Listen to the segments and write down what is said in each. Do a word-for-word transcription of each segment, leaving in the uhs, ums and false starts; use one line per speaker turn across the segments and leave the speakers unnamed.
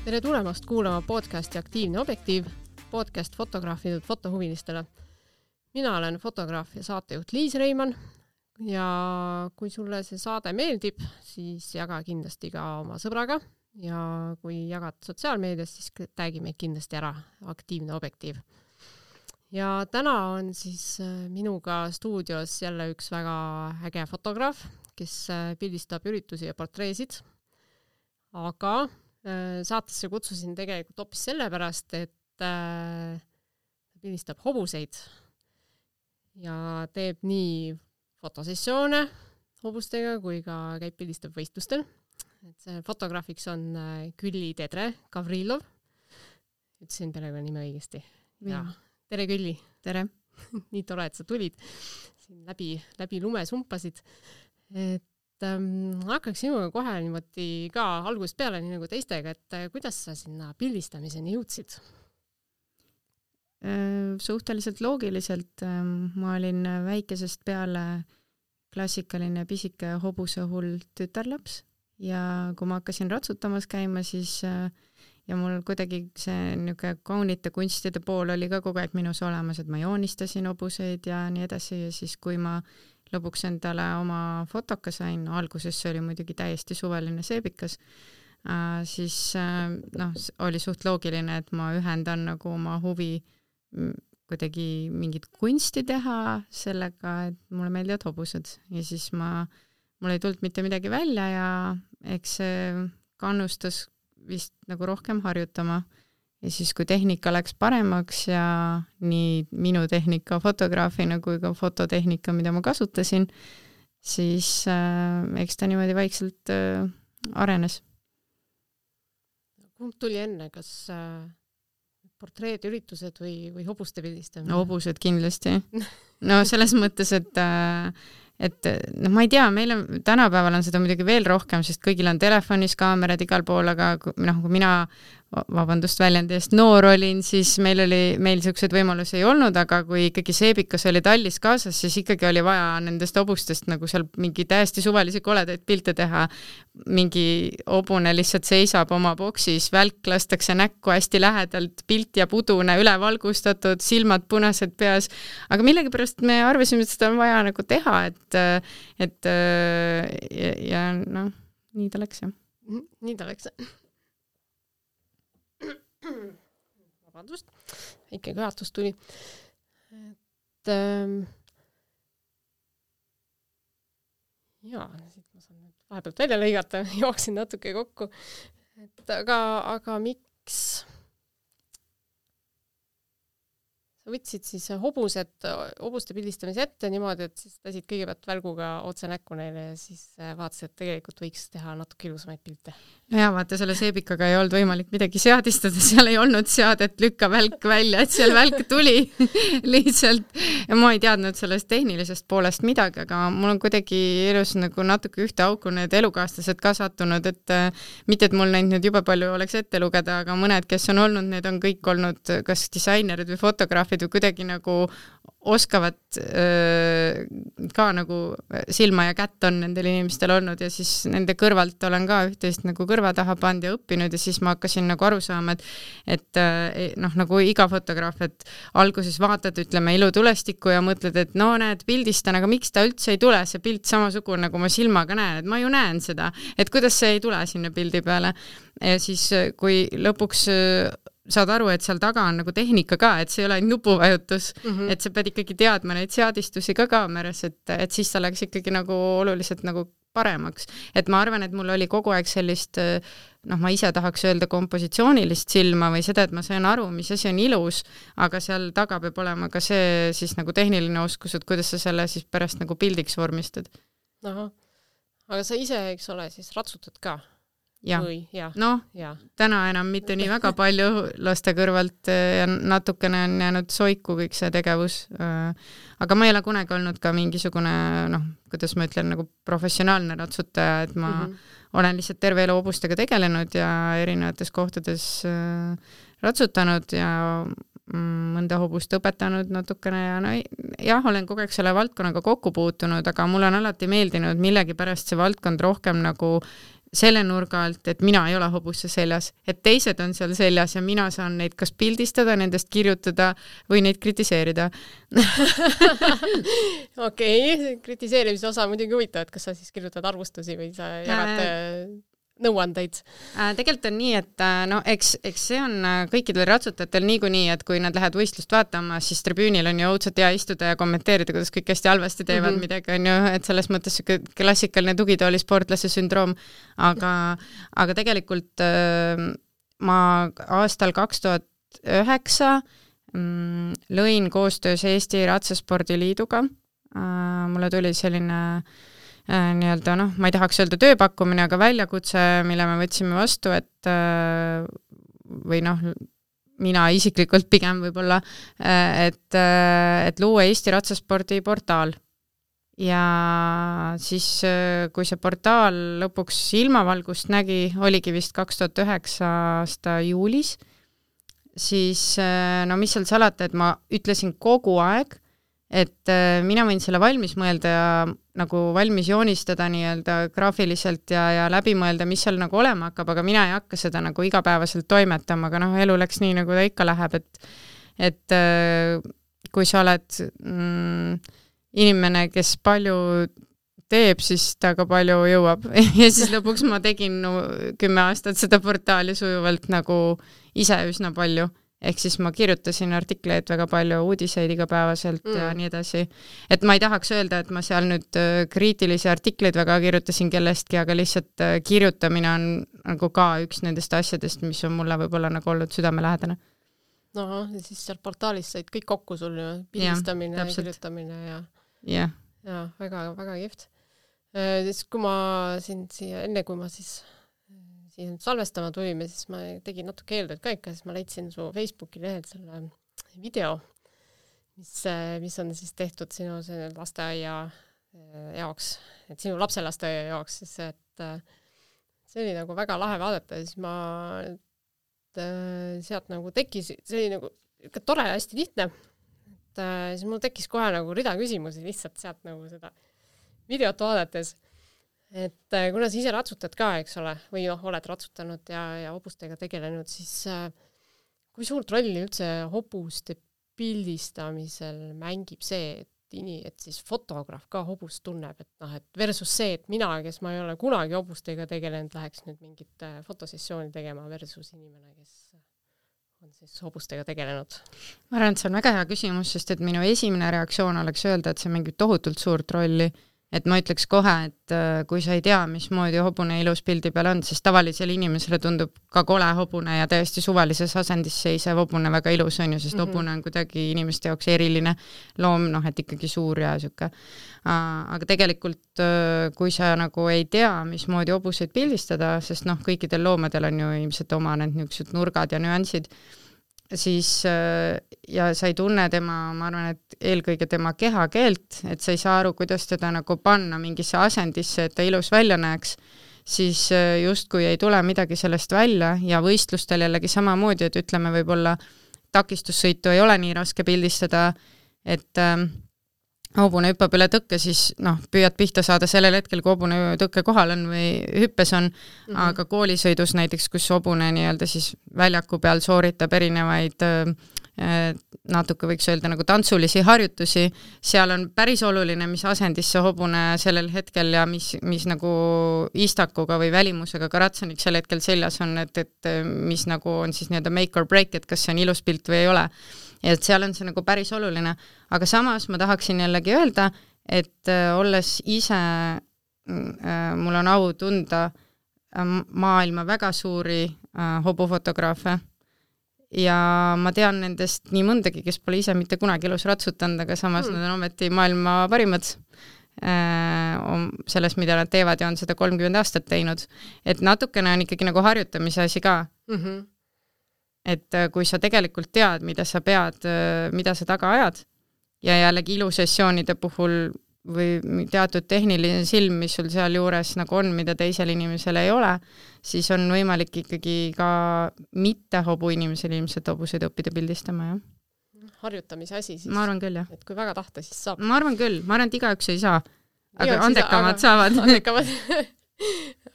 Tere tulemast kuulama podcasti Aktiivne objektiiv, podcast fotograafidud fotohuvilistele. Mina olen fotograaf ja saatejuht Liis Reimann ja kui sulle see saade meeldib, siis jaga kindlasti ka oma sõbraga ja kui jagad sotsiaalmeedias, siis tag'i meid kindlasti ära Aktiivne objektiiv. Ja täna on siis minuga stuudios jälle üks väga äge fotograaf, kes pildistab üritusi ja portreesid, aga saatesse kutsusin tegelikult hoopis sellepärast, et ta pildistab hobuseid ja teeb nii fotosessioone hobustega kui ka käib pildistab võistlustel. Et see fotograafiks on Külli Tedre Gavrilov. Ütlesin perekonna nime õigesti. Ja, tere Külli.
Tere.
Nii tore, et sa tulid. Siin läbi, läbi lume sumpasid. Et Ähm, hakkaks sinuga kohe niimoodi ka algusest peale nii nagu teistega, et kuidas sa sinna pildistamiseni jõudsid?
Suhteliselt loogiliselt. Ma olin väikesest peale klassikaline pisike hobuse hull tütarlaps ja kui ma hakkasin ratsutamas käima, siis ja mul kuidagi see niisugune kaunite kunstide pool oli ka kogu aeg minus olemas, et ma joonistasin hobuseid ja nii edasi ja siis kui ma lõpuks endale oma fotoka sain, alguses see oli muidugi täiesti suveline seebikas, äh, siis äh, noh, oli suht loogiline, et ma ühendan nagu oma huvi kuidagi mingit kunsti teha sellega, et mulle meeldivad hobused ja siis ma, mul ei tulnud mitte midagi välja ja eks see kannustas vist nagu rohkem harjutama. Ja siis, kui tehnika läks paremaks ja nii minu tehnika fotograafina kui ka fototehnika, mida ma kasutasin, siis äh, eks ta niimoodi vaikselt äh, arenes.
Kumb tuli enne, kas äh, portreed, üritused või, või hobuste pildistamine?
No, hobused kindlasti. No selles mõttes, et äh, et noh, ma ei tea, meil on, tänapäeval on seda muidugi veel rohkem, sest kõigil on telefonis kaamerad igal pool, aga noh, kui mina vabandust väljendi eest noor olin, siis meil oli, meil sellised võimalusi ei olnud, aga kui ikkagi seebikas oli tallis kaasas, siis ikkagi oli vaja nendest hobustest nagu seal mingi täiesti suvalisi koledaid pilte teha. Mingi hobune lihtsalt seisab oma boksis, välk lastakse näkku hästi lähedalt, pilt ja pudune üle valgustatud, silmad punased peas, aga millegipärast me arvasime, et seda on vaja nagu teha, et, et ja, ja noh, nii ta läks jah.
Nii ta läks. Vabandust, väike kõhatus tuli. Et ähm, jaa, siit ma saan vahepealt välja lõigata, jooksin natuke kokku. Et aga, aga miks sa võtsid siis hobused, hobuste pildistamise ette niimoodi, et siis tasid kõigepealt välguga otse näkku neile ja siis vaatasid, et tegelikult võiks teha natuke ilusamaid pilte.
No jaa, vaata, selle seebikaga ei olnud võimalik midagi seadistada, seal ei olnud seadet lükka välk välja, et seal välk tuli lihtsalt. Ja ma ei teadnud sellest tehnilisest poolest midagi, aga mul on kuidagi elus nagu natuke ühte auku need elukaaslased ka sattunud, et mitte, et mul neid nüüd jube palju oleks ette lugeda, aga mõned, kes on olnud, need on kõik olnud kas disainerid või fotograafid või kuidagi nagu oskavad öö, ka nagu silma ja kätt on nendel inimestel olnud ja siis nende kõrvalt olen ka üht-teist nagu kõrva taha pand ja õppinud ja siis ma hakkasin nagu aru saama, et, et noh, nagu iga fotograaf, et alguses vaatad, ütleme, ilutulestikku ja mõtled, et no näed, pildistan, aga miks ta üldse ei tule, see pilt samasugune, nagu ma silmaga näen, et ma ju näen seda, et kuidas see ei tule sinna pildi peale. Ja siis, kui lõpuks saad aru, et seal taga on nagu tehnika ka, et see ei ole nupuvajutus, mm-hmm. et sa pead ikkagi teadma neid seadistusi ka kaameras, et, et siis ta läks ikkagi nagu oluliselt nagu paremaks. Et ma arvan, et mul oli kogu aeg sellist, noh, ma ise tahaks öelda kompositsioonilist silma või seda, et ma sain aru, mis asi on ilus, aga seal taga peab olema ka see siis nagu tehniline oskus, et kuidas sa selle siis pärast nagu pildiks vormistad.
Aha. Aga sa ise, eks ole, siis ratsutad ka?
Ja.
Või, ja.
No, ja. Täna enam mitte nii väga palju laste kõrvalt ja natukene on jäänud soiku kõik see tegevus. Aga ma ei ole kunagi olnud ka mingisugune, noh, kuidas ma ütlen, nagu professionaalne ratsutaja, et ma mm-hmm. olen lihtsalt terve elu hobustega tegelenud ja erinevates kohtades ratsutanud ja mõnda hobust õpetanud natukene ja no, jah, olen kogu aeg selle valdkonnaga kokku puutunud, aga mul on alati meeldinud millegipärast see valdkond rohkem nagu selle nurga alt, et mina ei ole hobusse seljas, et teised on seal seljas ja mina saan neid kas pildistada, nendest kirjutada või neid kritiseerida.
Okei, kritiseerimise osa muidugi huvitav, et kas sa siis kirjutad arvustusi või sa jagad äh... nõuandeid?
Tegelikult on nii, et no eks, eks see on kõikidel ratsutajatel niikuinii, et kui nad lähevad võistlust vaatama, siis tribüünil on ju õudselt hea istuda ja kommenteerida, kuidas kõik hästi halvasti teevad mm -hmm. midagi, on ju, et selles mõttes klassikaline tugitooli sportlase sündroom. Aga, aga tegelikult ma aastal kaks tuhat üheksa lõin koostöös Eesti Ratsaspordiliiduga. Mulle tuli selline nii-öelda, noh, ma ei tahaks öelda tööpakkumine, aga väljakutse, mille me võtsime vastu, et või noh, mina isiklikult pigem võib-olla, et, et luua Eesti ratsaspordi portaal. Ja siis, kui see portaal lõpuks ilmavalgust nägi, oligi vist kaks tuhat üheksa aasta juulis, siis no mis seal salata, et ma ütlesin kogu aeg, et mina võin selle valmis mõelda ja nagu valmis joonistada nii-öelda graafiliselt ja, ja läbi mõelda, mis seal nagu olema hakkab, aga mina ei hakka seda nagu igapäevaselt toimetama, aga noh, elu läks nii, nagu ta ikka läheb, et, et kui sa oled mm, inimene, kes palju teeb, siis ta ka palju jõuab. Ja siis lõpuks ma tegin no, kümme aastat seda portaali sujuvalt nagu ise üsna palju. Ehk siis ma kirjutasin artikleid väga palju, uudiseid igapäevaselt mm. ja nii edasi. Et ma ei tahaks öelda, et ma seal nüüd kriitilisi artikleid väga kirjutasin kellestki, aga lihtsalt kirjutamine on nagu ka üks nendest asjadest, mis on mulle võib-olla nagu olnud südamelähedane.
No, siis seal portaalis said kõik kokku sul ju, pildistamine ja, ja kirjutamine ja,
yeah.
ja väga, väga kihvt. Siis kui ma siin siia, enne kui ma siis siin salvestama tulime, siis ma tegin natuke eeltööd ka ikka, siis ma leidsin su Facebooki lehelt selle video, mis, mis on siis tehtud sinu lasteaia jaoks, et sinu lapse lasteaia jaoks, siis et see oli nagu väga lahe vaadata ja siis ma sealt nagu tekkis, see oli nagu ikka tore ja hästi lihtne, et siis mul tekkis kohe nagu rida küsimusi lihtsalt sealt nagu seda videot vaadates. Et kuna sa ise ratsutad ka, eks ole, või noh, oled ratsutanud ja, ja hobustega tegelenud, siis kui suurt rolli üldse hobuste pildistamisel mängib see, et, ini, et siis fotograaf ka hobust tunneb, et noh, et versus see, et mina, kes ma ei ole kunagi hobustega tegelenud, läheks nüüd mingit fotosessiooni tegema versus inimene, kes on siis hobustega tegelenud?
Ma arvan, et see on väga hea küsimus, sest et minu esimene reaktsioon oleks öelda, et see mängib tohutult suurt rolli. Et ma ütleks kohe, et kui sa ei tea, mismoodi hobune ilus pildi peal on, siis tavalisele inimesele tundub ka kole hobune ja täiesti suvalises asendis seisev hobune väga ilus on ju, sest mm-hmm. hobune on kuidagi inimeste jaoks eriline loom, noh, et ikkagi suur ja siuke. Aga tegelikult, kui sa nagu ei tea, mismoodi hobuseid pildistada, sest noh, kõikidel loomadel on ju ilmselt oma need niisugused nurgad ja nüansid, siis ja sa ei tunne tema, ma arvan, et eelkõige tema kehakeelt, et sa ei saa aru, kuidas teda nagu panna mingisse asendisse, et ta ilus välja näeks, siis justkui ei tule midagi sellest välja ja võistlustel jällegi samamoodi, et ütleme võib-olla takistussõitu ei ole nii raske pildistada, et hobune hüppab üle tõkke, siis noh, püüad pihta saada sellel hetkel, kui hobune tõkke kohal on või hüppes on, mm-hmm. aga koolisõidus näiteks, kus hobune nii-öelda siis väljaku peal sooritab erinevaid natuke võiks öelda nagu tantsulisi harjutusi, seal on päris oluline, mis asendis see hobune sellel hetkel ja mis, mis nagu istakuga või välimusega ka ratsanik sel hetkel seljas on, et, et mis nagu on siis nii-öelda make or break, et kas see on ilus pilt või ei ole. Ja et seal on see nagu päris oluline, aga samas ma tahaksin jällegi öelda, et äh, olles ise, äh, mul on au tunda äh, maailma väga suuri äh, hobufotograafe ja ma tean nendest nii mõndagi, kes pole ise mitte kunagi elus ratsutanud, aga samas hmm. nad on ometi maailma parimad äh, selles, mida nad teevad ja on seda kolmkümmend aastat teinud. Et natukene on ikkagi nagu harjutamise asi ka. Mm-hmm. Et kui sa tegelikult tead, mida sa pead, mida sa taga ajad ja jällegi ilusessioonide puhul või teatud tehniline silm, mis sul seal juures nagu on, mida teisel inimesel ei ole, siis on võimalik ikkagi ka mitte hobu inimesel ilmselt hobuseid õppida pildistama, jah.
Harjutamise asi siis.
Ma arvan küll, jah.
Et kui väga tahta, siis saab.
Ma arvan küll. Ma arvan, et igaüks ei saa. Aga andekamad saavad.
Andekamad.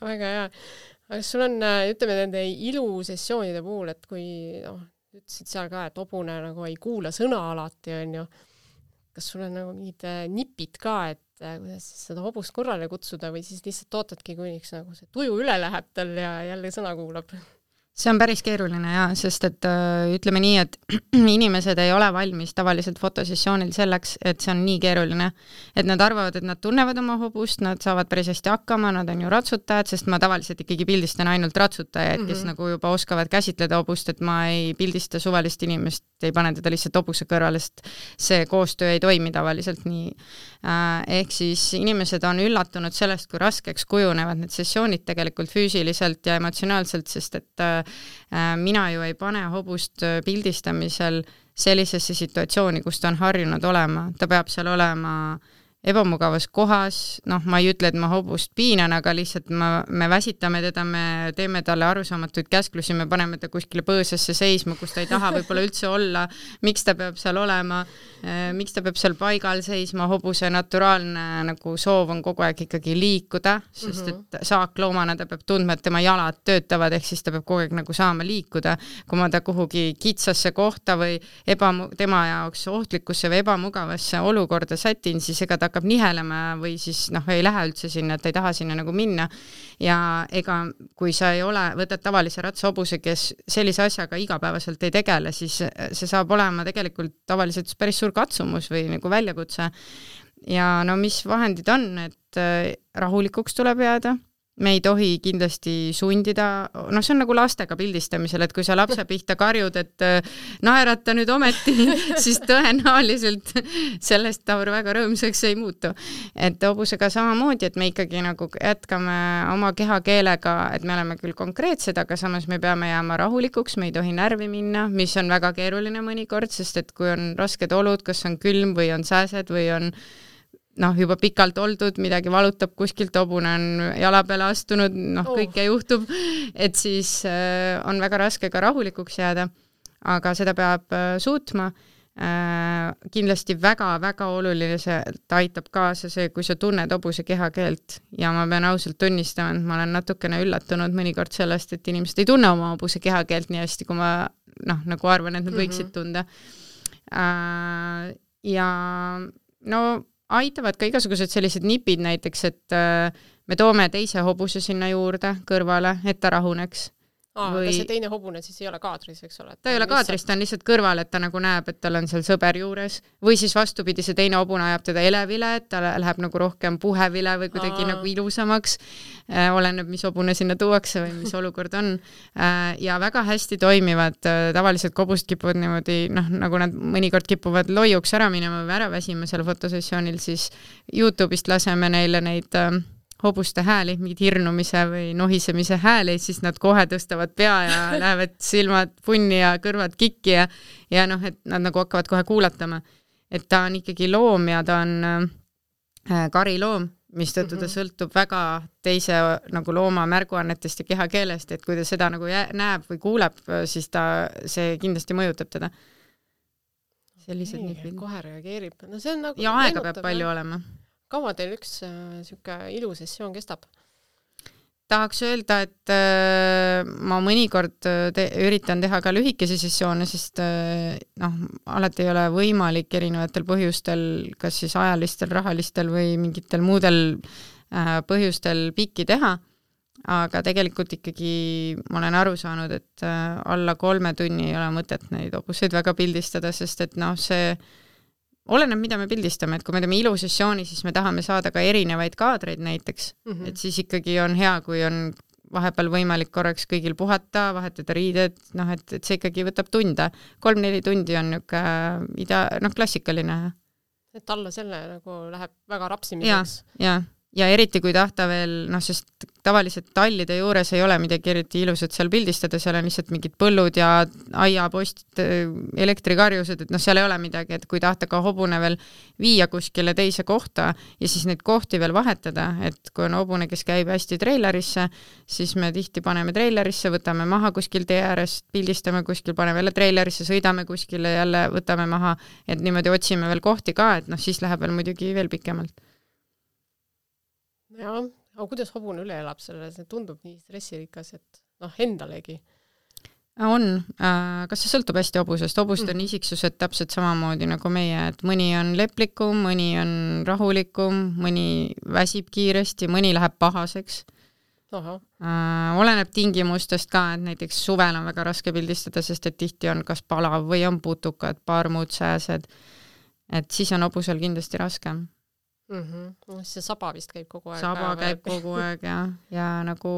väga hea. Aga sul on, ütleme, nende ilusessioonide puhul, et kui noh, ütlesid seal ka, et hobune nagu ei kuula sõna alati, on ju. Kas sul on nagu mingid nipid ka, et kuidas siis seda hobust korrale kutsuda või siis lihtsalt ootadki, kuniks nagu see tuju üle läheb tal ja jälle sõna kuulab?
See on päris keeruline ja, sest et äh, ütleme nii, et inimesed ei ole valmis tavaliselt fotosessioonil selleks, et see on nii keeruline, et nad arvavad, et nad tunnevad oma hobust, nad saavad päris hästi hakkama, nad on ju ratsutajad, sest ma tavaliselt ikkagi pildistan ainult ratsutajaid, kes mm -hmm. nagu juba oskavad käsitleda hobust, et ma ei pildista suvalist inimest, ei pane teda lihtsalt hobuse kõrvale, sest see koostöö ei toimi tavaliselt nii. Äh, ehk siis inimesed on üllatunud sellest, kui raskeks kujunevad need sessioonid tegelikult füüsiliselt ja emotsionaalselt, sest et äh, mina ju ei pane hobust pildistamisel sellisesse situatsiooni, kus ta on harjunud olema. Ta peab seal olema ebamugavas kohas, noh, ma ei ütle, et ma hobust piinan, aga lihtsalt ma, me väsitame teda, me teeme talle arusaamatuid käsklusi, me paneme ta kuskile põõsasse seisma, kus ta ei taha võib-olla üldse olla, miks ta peab seal olema, miks ta peab seal paigal seisma, hobuse naturaalne nagu soov on kogu aeg ikkagi liikuda, sest et saakloomana ta peab tundma, et tema jalad töötavad, ehk siis ta peab kogu aeg nagu saama liikuda. Kui ma ta kuhugi kitsasse kohta või ebamu- tema jaoks ohtlikusse või ebamugavasse olukorda sätin, siis ega ta hakkab nihelema või siis noh, ei lähe üldse sinna, et ei taha sinna nagu minna. Ja ega kui sa ei ole, võtad tavalise ratsahobuse, kes sellise asjaga igapäevaselt ei tegele, siis see saab olema tegelikult tavaliselt päris suur katsumus või nagu väljakutse. Ja no mis vahendid on, et rahulikuks tuleb jääda. Me ei tohi kindlasti sundida, noh see on nagu lastega pildistamisel, et kui sa lapse pihta karjud, et naerata nüüd ometi, siis tõenäoliselt sellest ta väga rõõmsaks ei muutu. Et hobusega samamoodi, et me ikkagi nagu jätkame oma kehakeelega, et me oleme küll konkreetsed, aga samas me peame jääma rahulikuks, me ei tohi närvi minna, mis on väga keeruline mõnikord, sest et kui on rasked olud, kas on külm või on sääsed või on noh, juba pikalt oldud, midagi valutab kuskilt, hobune on jala peale astunud, noh, oh. kõike juhtub, et siis äh, on väga raske ka rahulikuks jääda, aga seda peab äh, suutma. Äh, kindlasti väga-väga oluline see aitab kaasa see, kui sa tunned hobuse kehakeelt ja ma pean ausalt tunnistama, et ma olen natukene üllatunud mõnikord sellest, et inimesed ei tunne oma hobuse kehakeelt nii hästi, kui ma noh, nagu arvan, et nad võiksid tunda. Äh, ja no aitavad ka igasugused sellised nipid näiteks, et me toome teise hobuse sinna juurde kõrvale, et ta rahuneks.
Aa, või... aga see teine hobune siis ei ole kaadris, eks ole?
Ta ei ole kaadris, ta on lihtsalt kõrval, et ta nagu näeb, et tal on seal sõber juures. Või siis vastupidi, see teine hobune ajab teda elevile, et ta läheb nagu rohkem puhevile või kuidagi Aa. nagu ilusamaks. Äh, oleneb, mis hobune sinna tuuakse või mis olukord on. Äh, ja väga hästi toimivad. Tavaliselt hobust kipuvad niimoodi, noh, nagu nad mõnikord kipuvad loiuks ära minema või ära väsima seal fotosessioonil, siis YouTube'ist laseme neile neid äh, hobuste hääli, mingid hirnumise või nohisemise hääli, siis nad kohe tõstavad pea ja lähevad silmad punni ja kõrvad kikki ja, ja noh, et nad nagu hakkavad kohe kuulatama. Et ta on ikkagi loom ja ta on äh, kariloom, mis tõttu ta sõltub väga teise nagu looma märguannetest ja kehakeelest, et kui ta seda nagu jää, näeb või kuuleb, siis ta, see kindlasti mõjutab teda. Sellised
nii, kohe reageerib. No see on nagu
ja aega peab palju ja. olema.
Kaua teil üks äh, siuke ilusessioon kestab?
Tahaks öelda, et äh, ma mõnikord te üritan teha ka lühikese sessioone, sest äh, noh, alati ei ole võimalik erinevatel põhjustel, kas siis ajalistel, rahalistel või mingitel muudel äh, põhjustel pikki teha, aga tegelikult ikkagi ma olen aru saanud, et äh, alla kolme tunni ei ole mõtet neid hobuseid väga pildistada, sest et noh, see oleneb, mida me pildistame, et kui me teeme ilusessiooni, siis me tahame saada ka erinevaid kaadreid näiteks, mm -hmm. et siis ikkagi on hea, kui on vahepeal võimalik korraks kõigil puhata, vahetada riided, noh, et, et see ikkagi võtab tunde. Kolm-neli tundi on niuke ida, noh, klassikaline.
Et alla selle nagu läheb väga rapsimiseks.
Ja, ja. Ja eriti kui tahta veel, noh, sest tavaliselt tallide juures ei ole midagi eriti ilusat seal pildistada, seal on lihtsalt mingid põllud ja aiapost, elektrikarjused, et noh, seal ei ole midagi, et kui tahta ka hobune veel viia kuskile teise kohta ja siis neid kohti veel vahetada, et kui on hobune, kes käib hästi treilerisse, siis me tihti paneme treilerisse, võtame maha kuskil tee äärest, pildistame kuskil, paneme jälle treilerisse, sõidame kuskile, jälle võtame maha, et niimoodi otsime veel kohti ka, et noh, siis läheb veel muidugi veel pikemalt.
Ja, aga kuidas hobune üle elab selle, see tundub nii stressirikas, et noh, endalegi.
On. Kas see sõltub hästi hobusest? Hobust on isiksused täpselt samamoodi nagu meie, et mõni on leplikum, mõni on rahulikum, mõni väsib kiiresti, mõni läheb pahaseks.
Aha.
Oleneb tingimustest ka, et näiteks suvel on väga raske pildistada, sest et tihti on kas palav või on putukad, parmud, sääsed. Et siis on hobusel kindlasti raskem.
Mm-hmm. See saba vist käib kogu aeg.
Saba käib kogu aeg ja, ja nagu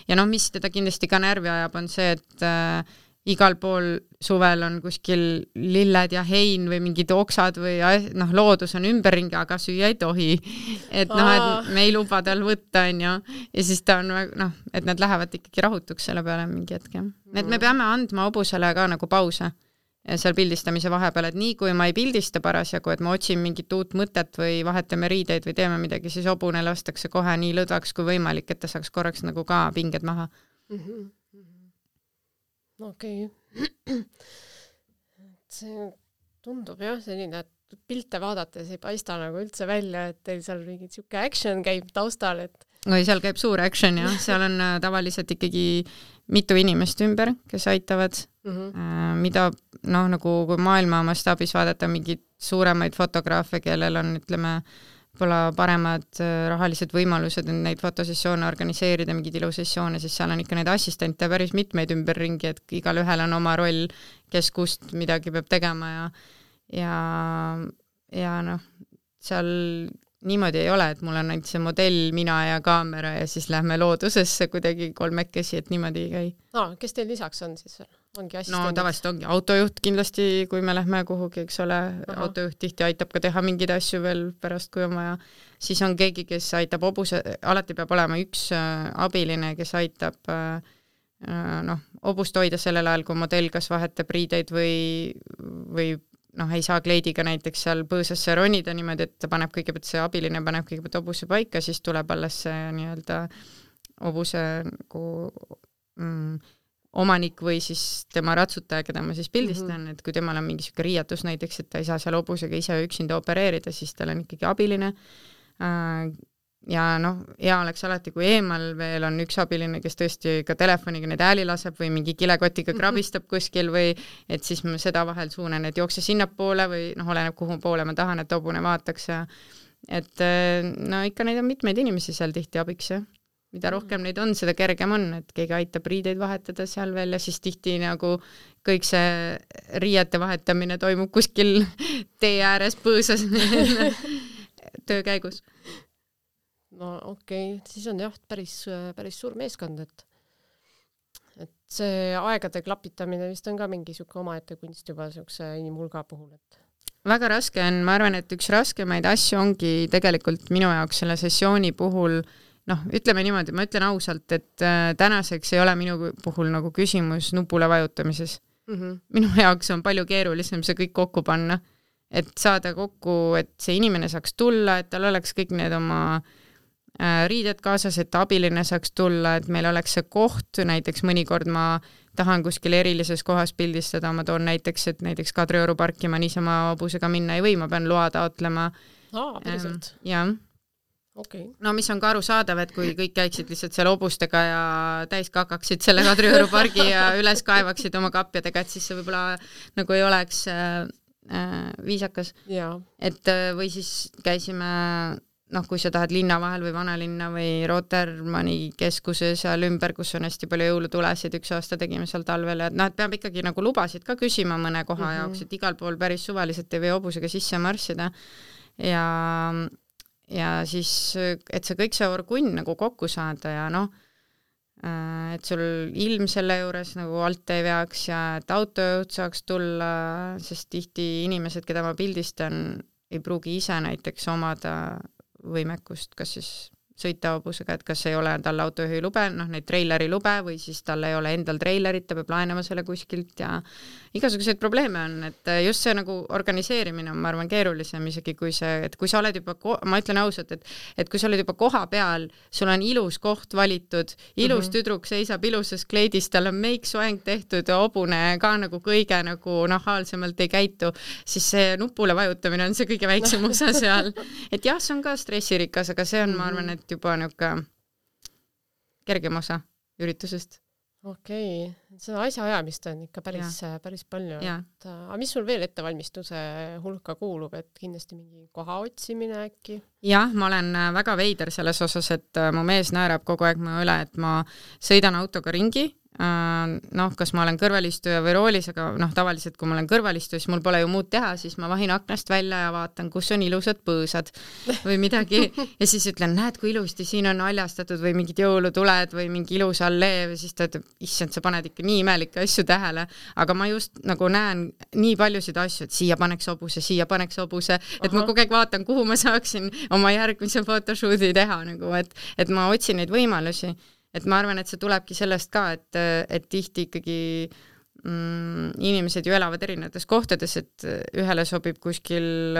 ja noh, mis teda kindlasti ka närvi ajab, on see, et äh, igal pool suvel on kuskil lilled ja hein või mingid oksad või noh, loodus on ümberringi, aga süüa ei tohi. Et noh, et me ei luba tal võtta, on ju. Ja siis ta on noh, et nad lähevad ikkagi rahutuks selle peale mingi hetke. Et me peame andma hobusele ka nagu pause seal pildistamise vahepeal, et nii kui ma ei pildista parasjagu, et ma otsin mingit uut mõtet või vahetame riideid või teeme midagi, siis hobune lastakse kohe nii lõdvaks kui võimalik, et ta saaks korraks nagu ka pinged maha.
Mm-hmm. Okei. Okay. See tundub jah selline, et pilte vaadates ei paista nagu üldse välja, et teil seal mingi siuke action käib taustal, et
või seal käib suur action, jah. Seal on tavaliselt ikkagi mitu inimest ümber, kes aitavad, mm-hmm. mida noh, nagu kui maailma mastaabis vaadata mingid suuremaid fotograafe, kellel on, ütleme, pole paremad rahalised võimalused neid fotosessioone organiseerida, mingid ilusessioone, siis seal on ikka neid assistente päris mitmeid ümberringi, et igal ühel on oma roll, kes kust midagi peab tegema ja, ja, ja noh, seal niimoodi ei ole, et mul on ainult see modell, mina ja kaamera ja siis lähme loodusesse kuidagi kolmekesi, et niimoodi ei käi.
No, kes teil lisaks on siis? Ongi assistendid?
No tavaliselt ongi autojuht kindlasti, kui me lähme kuhugi, eks ole, Aha. autojuht tihti aitab ka teha mingeid asju veel pärast, kui on vaja. Siis on keegi, kes aitab hobuse, alati peab olema üks äh, abiline, kes aitab äh, noh, hobust hoida sellel ajal, kui modell kas vahetab riideid või, või noh, ei saa kleidiga näiteks seal põõsasse ronida niimoodi, et ta paneb kõigepealt see abiline, paneb kõigepealt hobuse paika, siis tuleb alles see nii-öelda hobuse nagu mm, omanik või siis tema ratsutaja, keda ma siis pildistan, mm-hmm. et kui temal on mingi siuke riiatus näiteks, et ta ei saa seal hobusega ise üksinda opereerida, siis tal on ikkagi abiline. Ja noh, hea oleks alati, kui eemal veel on üks abiline, kes tõesti ka telefoniga neid hääli laseb või mingi kilekotiga krabistab kuskil või et siis ma seda vahel suunen, et jookse sinna poole või noh, oleneb kuhu poole ma tahan, et hobune vaataks ja et no ikka neid on mitmeid inimesi seal tihti abiks ja mida rohkem neid on, seda kergem on, et keegi aitab riideid vahetada seal veel ja siis tihti nagu kõik see riiete vahetamine toimub kuskil tee ääres põõsas töö käigus.
No okei, okay. Siis on jah päris, päris suur meeskond, et, et see aegade klapitamine vist on ka mingi siuke omaette kunst juba siukse inimhulga puhul, et
väga raske on, ma arvan, et üks raskemaid asju ongi tegelikult minu jaoks selle sessiooni puhul noh, ütleme niimoodi, ma ütlen ausalt, et äh, tänaseks ei ole minu puhul nagu küsimus nupule vajutamises. Mm-hmm. Minu jaoks on palju keerulisem see kõik kokku panna, et saada kokku, et see inimene saaks tulla, et tal oleks kõik need oma äh, riided kaasas, et abiline saaks tulla, et meil oleks see koht, näiteks mõnikord ma tahan kuskil erilises kohas pildistada, ma toon näiteks, et näiteks Kadrioru parki ma niisama hobusega minna ei või, ma pean loa taotlema.
Aa, päriselt?
Ähm, jah. Okay. No mis on ka arusaadav, et kui kõik käiksid lihtsalt seal hobustega ja täis kakaksid selle Kadrioru pargi ja üles kaevaksid oma kapjadega, et siis see võib-olla nagu ei oleks äh, äh, viisakas.
Ja.
Et või siis käisime, noh, kui sa tahad linna vahel või vanalinna või Rotermanni keskuse seal ümber, kus on hästi palju jõulutulesid, üks aasta tegime seal talvel ja noh, et peab ikkagi nagu lubasid ka küsima mõne koha mm-hmm. jaoks, et igal pool päris suvaliselt ei või hobusega sisse marssida ja ja siis, et see kõik see orgunn nagu kokku saada ja noh, et sul ilm selle juures nagu alt ei veaks ja et autojuht saaks tulla, sest tihti inimesed, keda ma pildistan, ei pruugi ise näiteks omada võimekust, kas siis sõita hobusega, et kas ei ole tal autojuhi lube, noh neid treileri lube või siis tal ei ole endal treilerit, ta peab laenama selle kuskilt ja igasuguseid probleeme on, et just see nagu organiseerimine on, ma arvan, keerulisem isegi kui see, et kui sa oled juba, ma ütlen ausalt, et, et kui sa oled juba koha peal, sul on ilus koht valitud, ilus mm-hmm. tüdruk seisab ilusas kleidis, tal on meik soeng tehtud ja hobune ka nagu kõige nagu nahaalsemalt ei käitu, siis see nupule vajutamine on see kõige väiksem osa seal. Et jah, see on ka stressirikas, aga see on, ma arvan, et juba niuke kergem osa üritusest.
Okei, okay. Seda asjaajamist on ikka päris, päris palju. Et, aga mis sul veel ettevalmistuse hulka kuulub, et kindlasti mingi koha otsimine äkki?
Jah, ma olen väga veider selles osas, et mu mees naerab kogu aeg mu üle, et ma sõidan autoga ringi. Noh, kas ma olen kõrvalistuja või roolis, aga noh, tavaliselt kui ma olen kõrvalistuja, siis mul pole ju muud teha, siis ma vahin aknast välja ja vaatan, kus on ilusad põõsad või midagi ja siis ütlen, näed, kui ilusti siin on aljastatud või mingid jõulutuled või mingi ilus allee või siis ta ütleb, issand, sa paned ikka nii imelikke asju tähele, aga ma just nagu näen nii paljusid asju, et siia paneks hobuse, siia paneks hobuse, et Aha. ma kogu aeg vaatan, kuhu ma saaksin oma järgmise photoshooti teha, nagu, et, et ma otsin neid võimalusi. Et ma arvan, et see tulebki sellest ka, et, et tihti ikkagi mm, inimesed ju elavad erinevates kohtades, et ühele sobib kuskil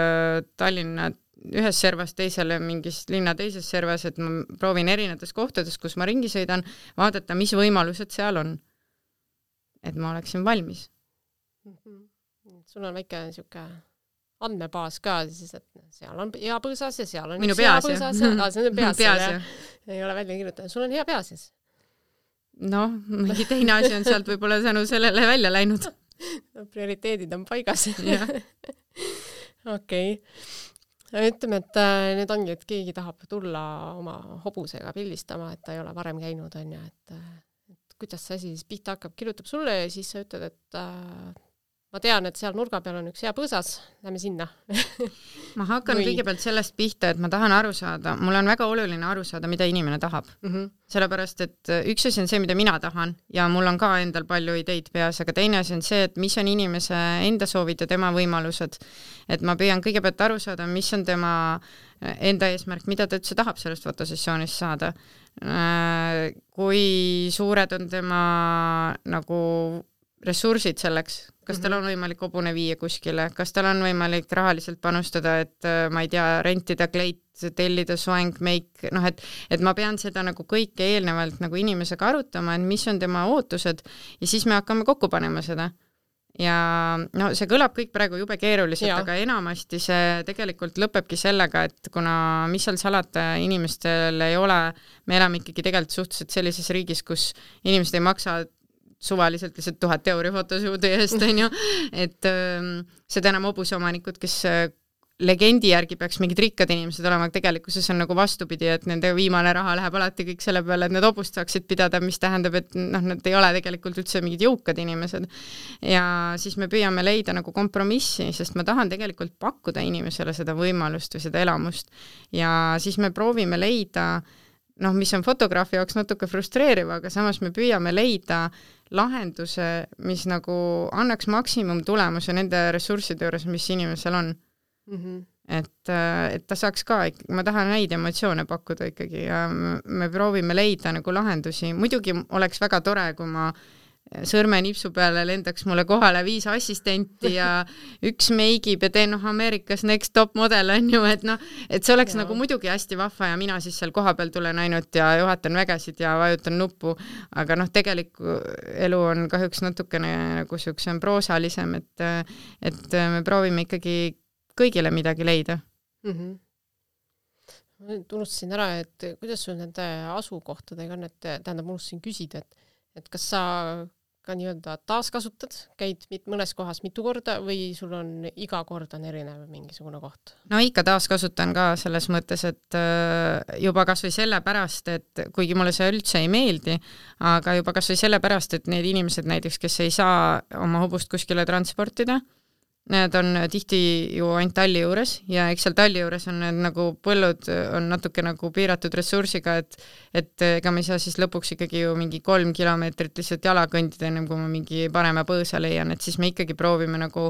Tallinna ühes servas, teisele mingis linna teises servas, et ma proovin erinevates kohtades, kus ma ringi sõidan, vaadata, mis võimalused seal on. Et ma oleksin valmis.
Mm-hmm. Sul on väike niisugune andmebaas ka, siis, et seal on hea põõsas ja seal on
Minu üks hea
põõsas ja ah, see on peas,
peas
ja. Ei ole välja kirjutanud. Sul on hea pea siis?
Noh, mingi teine asi on sealt võib-olla tänu sellele välja läinud.
No, prioriteedid on paigas. Okei. Ütleme, et need ongi, et keegi tahab tulla oma hobusega pildistama, et ta ei ole varem käinud, on ja, et, et kuidas see asi siis pihta hakkab, kirjutab sulle ja siis sa ütled, et ma tean, et seal nurga peal on üks hea põõsas, lähme sinna.
Ma hakkan Või... kõigepealt sellest pihta, et ma tahan aru saada, mul on väga oluline aru saada, mida inimene tahab. Mm-hmm. Sellepärast, et üks asi on see, mida mina tahan ja mul on ka endal palju ideid peas, aga teine asi on see, et mis on inimese enda soovid ja tema võimalused. Et ma püüan kõigepealt aru saada, mis on tema enda eesmärk, mida ta üldse tahab sellest fotosessioonist saada. Kui suured on tema nagu ressursid selleks, kas tal on võimalik hobune viia kuskile, kas tal on võimalik rahaliselt panustada, et ma ei tea, rentida kleit, tellida soeng, meik, noh, et, et ma pean seda nagu kõike eelnevalt nagu inimesega arutama, et mis on tema ootused ja siis me hakkame kokku panema seda. Ja no see kõlab kõik praegu jube keeruliselt, aga enamasti see tegelikult lõpebki sellega, et kuna mis seal salata inimestel ei ole, me elame ikkagi tegelikult suhteliselt sellises riigis, kus inimesed ei maksa suvaliselt lihtsalt tuhat euri fotosuudi eest, on ju, et ähm, seda enam hobusomanikud, kes äh, legendi järgi peaks mingid rikkad inimesed olema, tegelikkuses on nagu vastupidi, et nende viimane raha läheb alati kõik selle peale, et need hobust saaksid pidada, mis tähendab, et noh, nad ei ole tegelikult üldse mingid jõukad inimesed. Ja siis me püüame leida nagu kompromissi, sest ma tahan tegelikult pakkuda inimesele seda võimalust või seda elamust. Ja siis me proovime leida noh, mis on fotograafi jaoks natuke frustreeriv, aga samas me püüame leida lahenduse, mis nagu annaks maksimum tulemuse nende ressursside juures, mis inimesel on. Mm-hmm. Et, et ta saaks ka, ma tahan neid emotsioone pakkuda ikkagi ja me proovime leida nagu lahendusi. Muidugi oleks väga tore, kui ma sõrme nipsu peale lendaks mulle kohale viis assistenti ja üks meigib ja teen noh Ameerikas next top model on ju, et noh, et see oleks ja. Nagu muidugi hästi vahva ja mina siis seal koha peal tulen ainult ja juhatan vägesid ja vajutan nuppu, aga noh, tegeliku elu on kahjuks natukene nagu siukse proosalisem, et, et me proovime ikkagi kõigile midagi leida. Mm-hmm.
Ma unustasin ära, et kuidas sul nende asukohtadega on, et tähendab, unustasin küsida, et, et kas sa ka nii-öelda taaskasutad, käid mit, mõnes kohas mitu korda või sul on iga kord on erinev mingisugune koht?
No ikka taaskasutan ka selles mõttes, et juba kas või selle pärast, et kuigi mulle see üldse ei meeldi, aga juba kas või selle pärast, et need inimesed näiteks, kes ei saa oma hobust kuskile transportida, need on tihti ju ainult talli juures ja eks seal talli juures on need nagu põllud on natuke nagu piiratud ressursiga, et, et ega me ei saa siis lõpuks ikkagi ju mingi kolm kilomeetrit lihtsalt jala kõndida, ennem kui ma mingi parema põõsa leian, et siis me ikkagi proovime nagu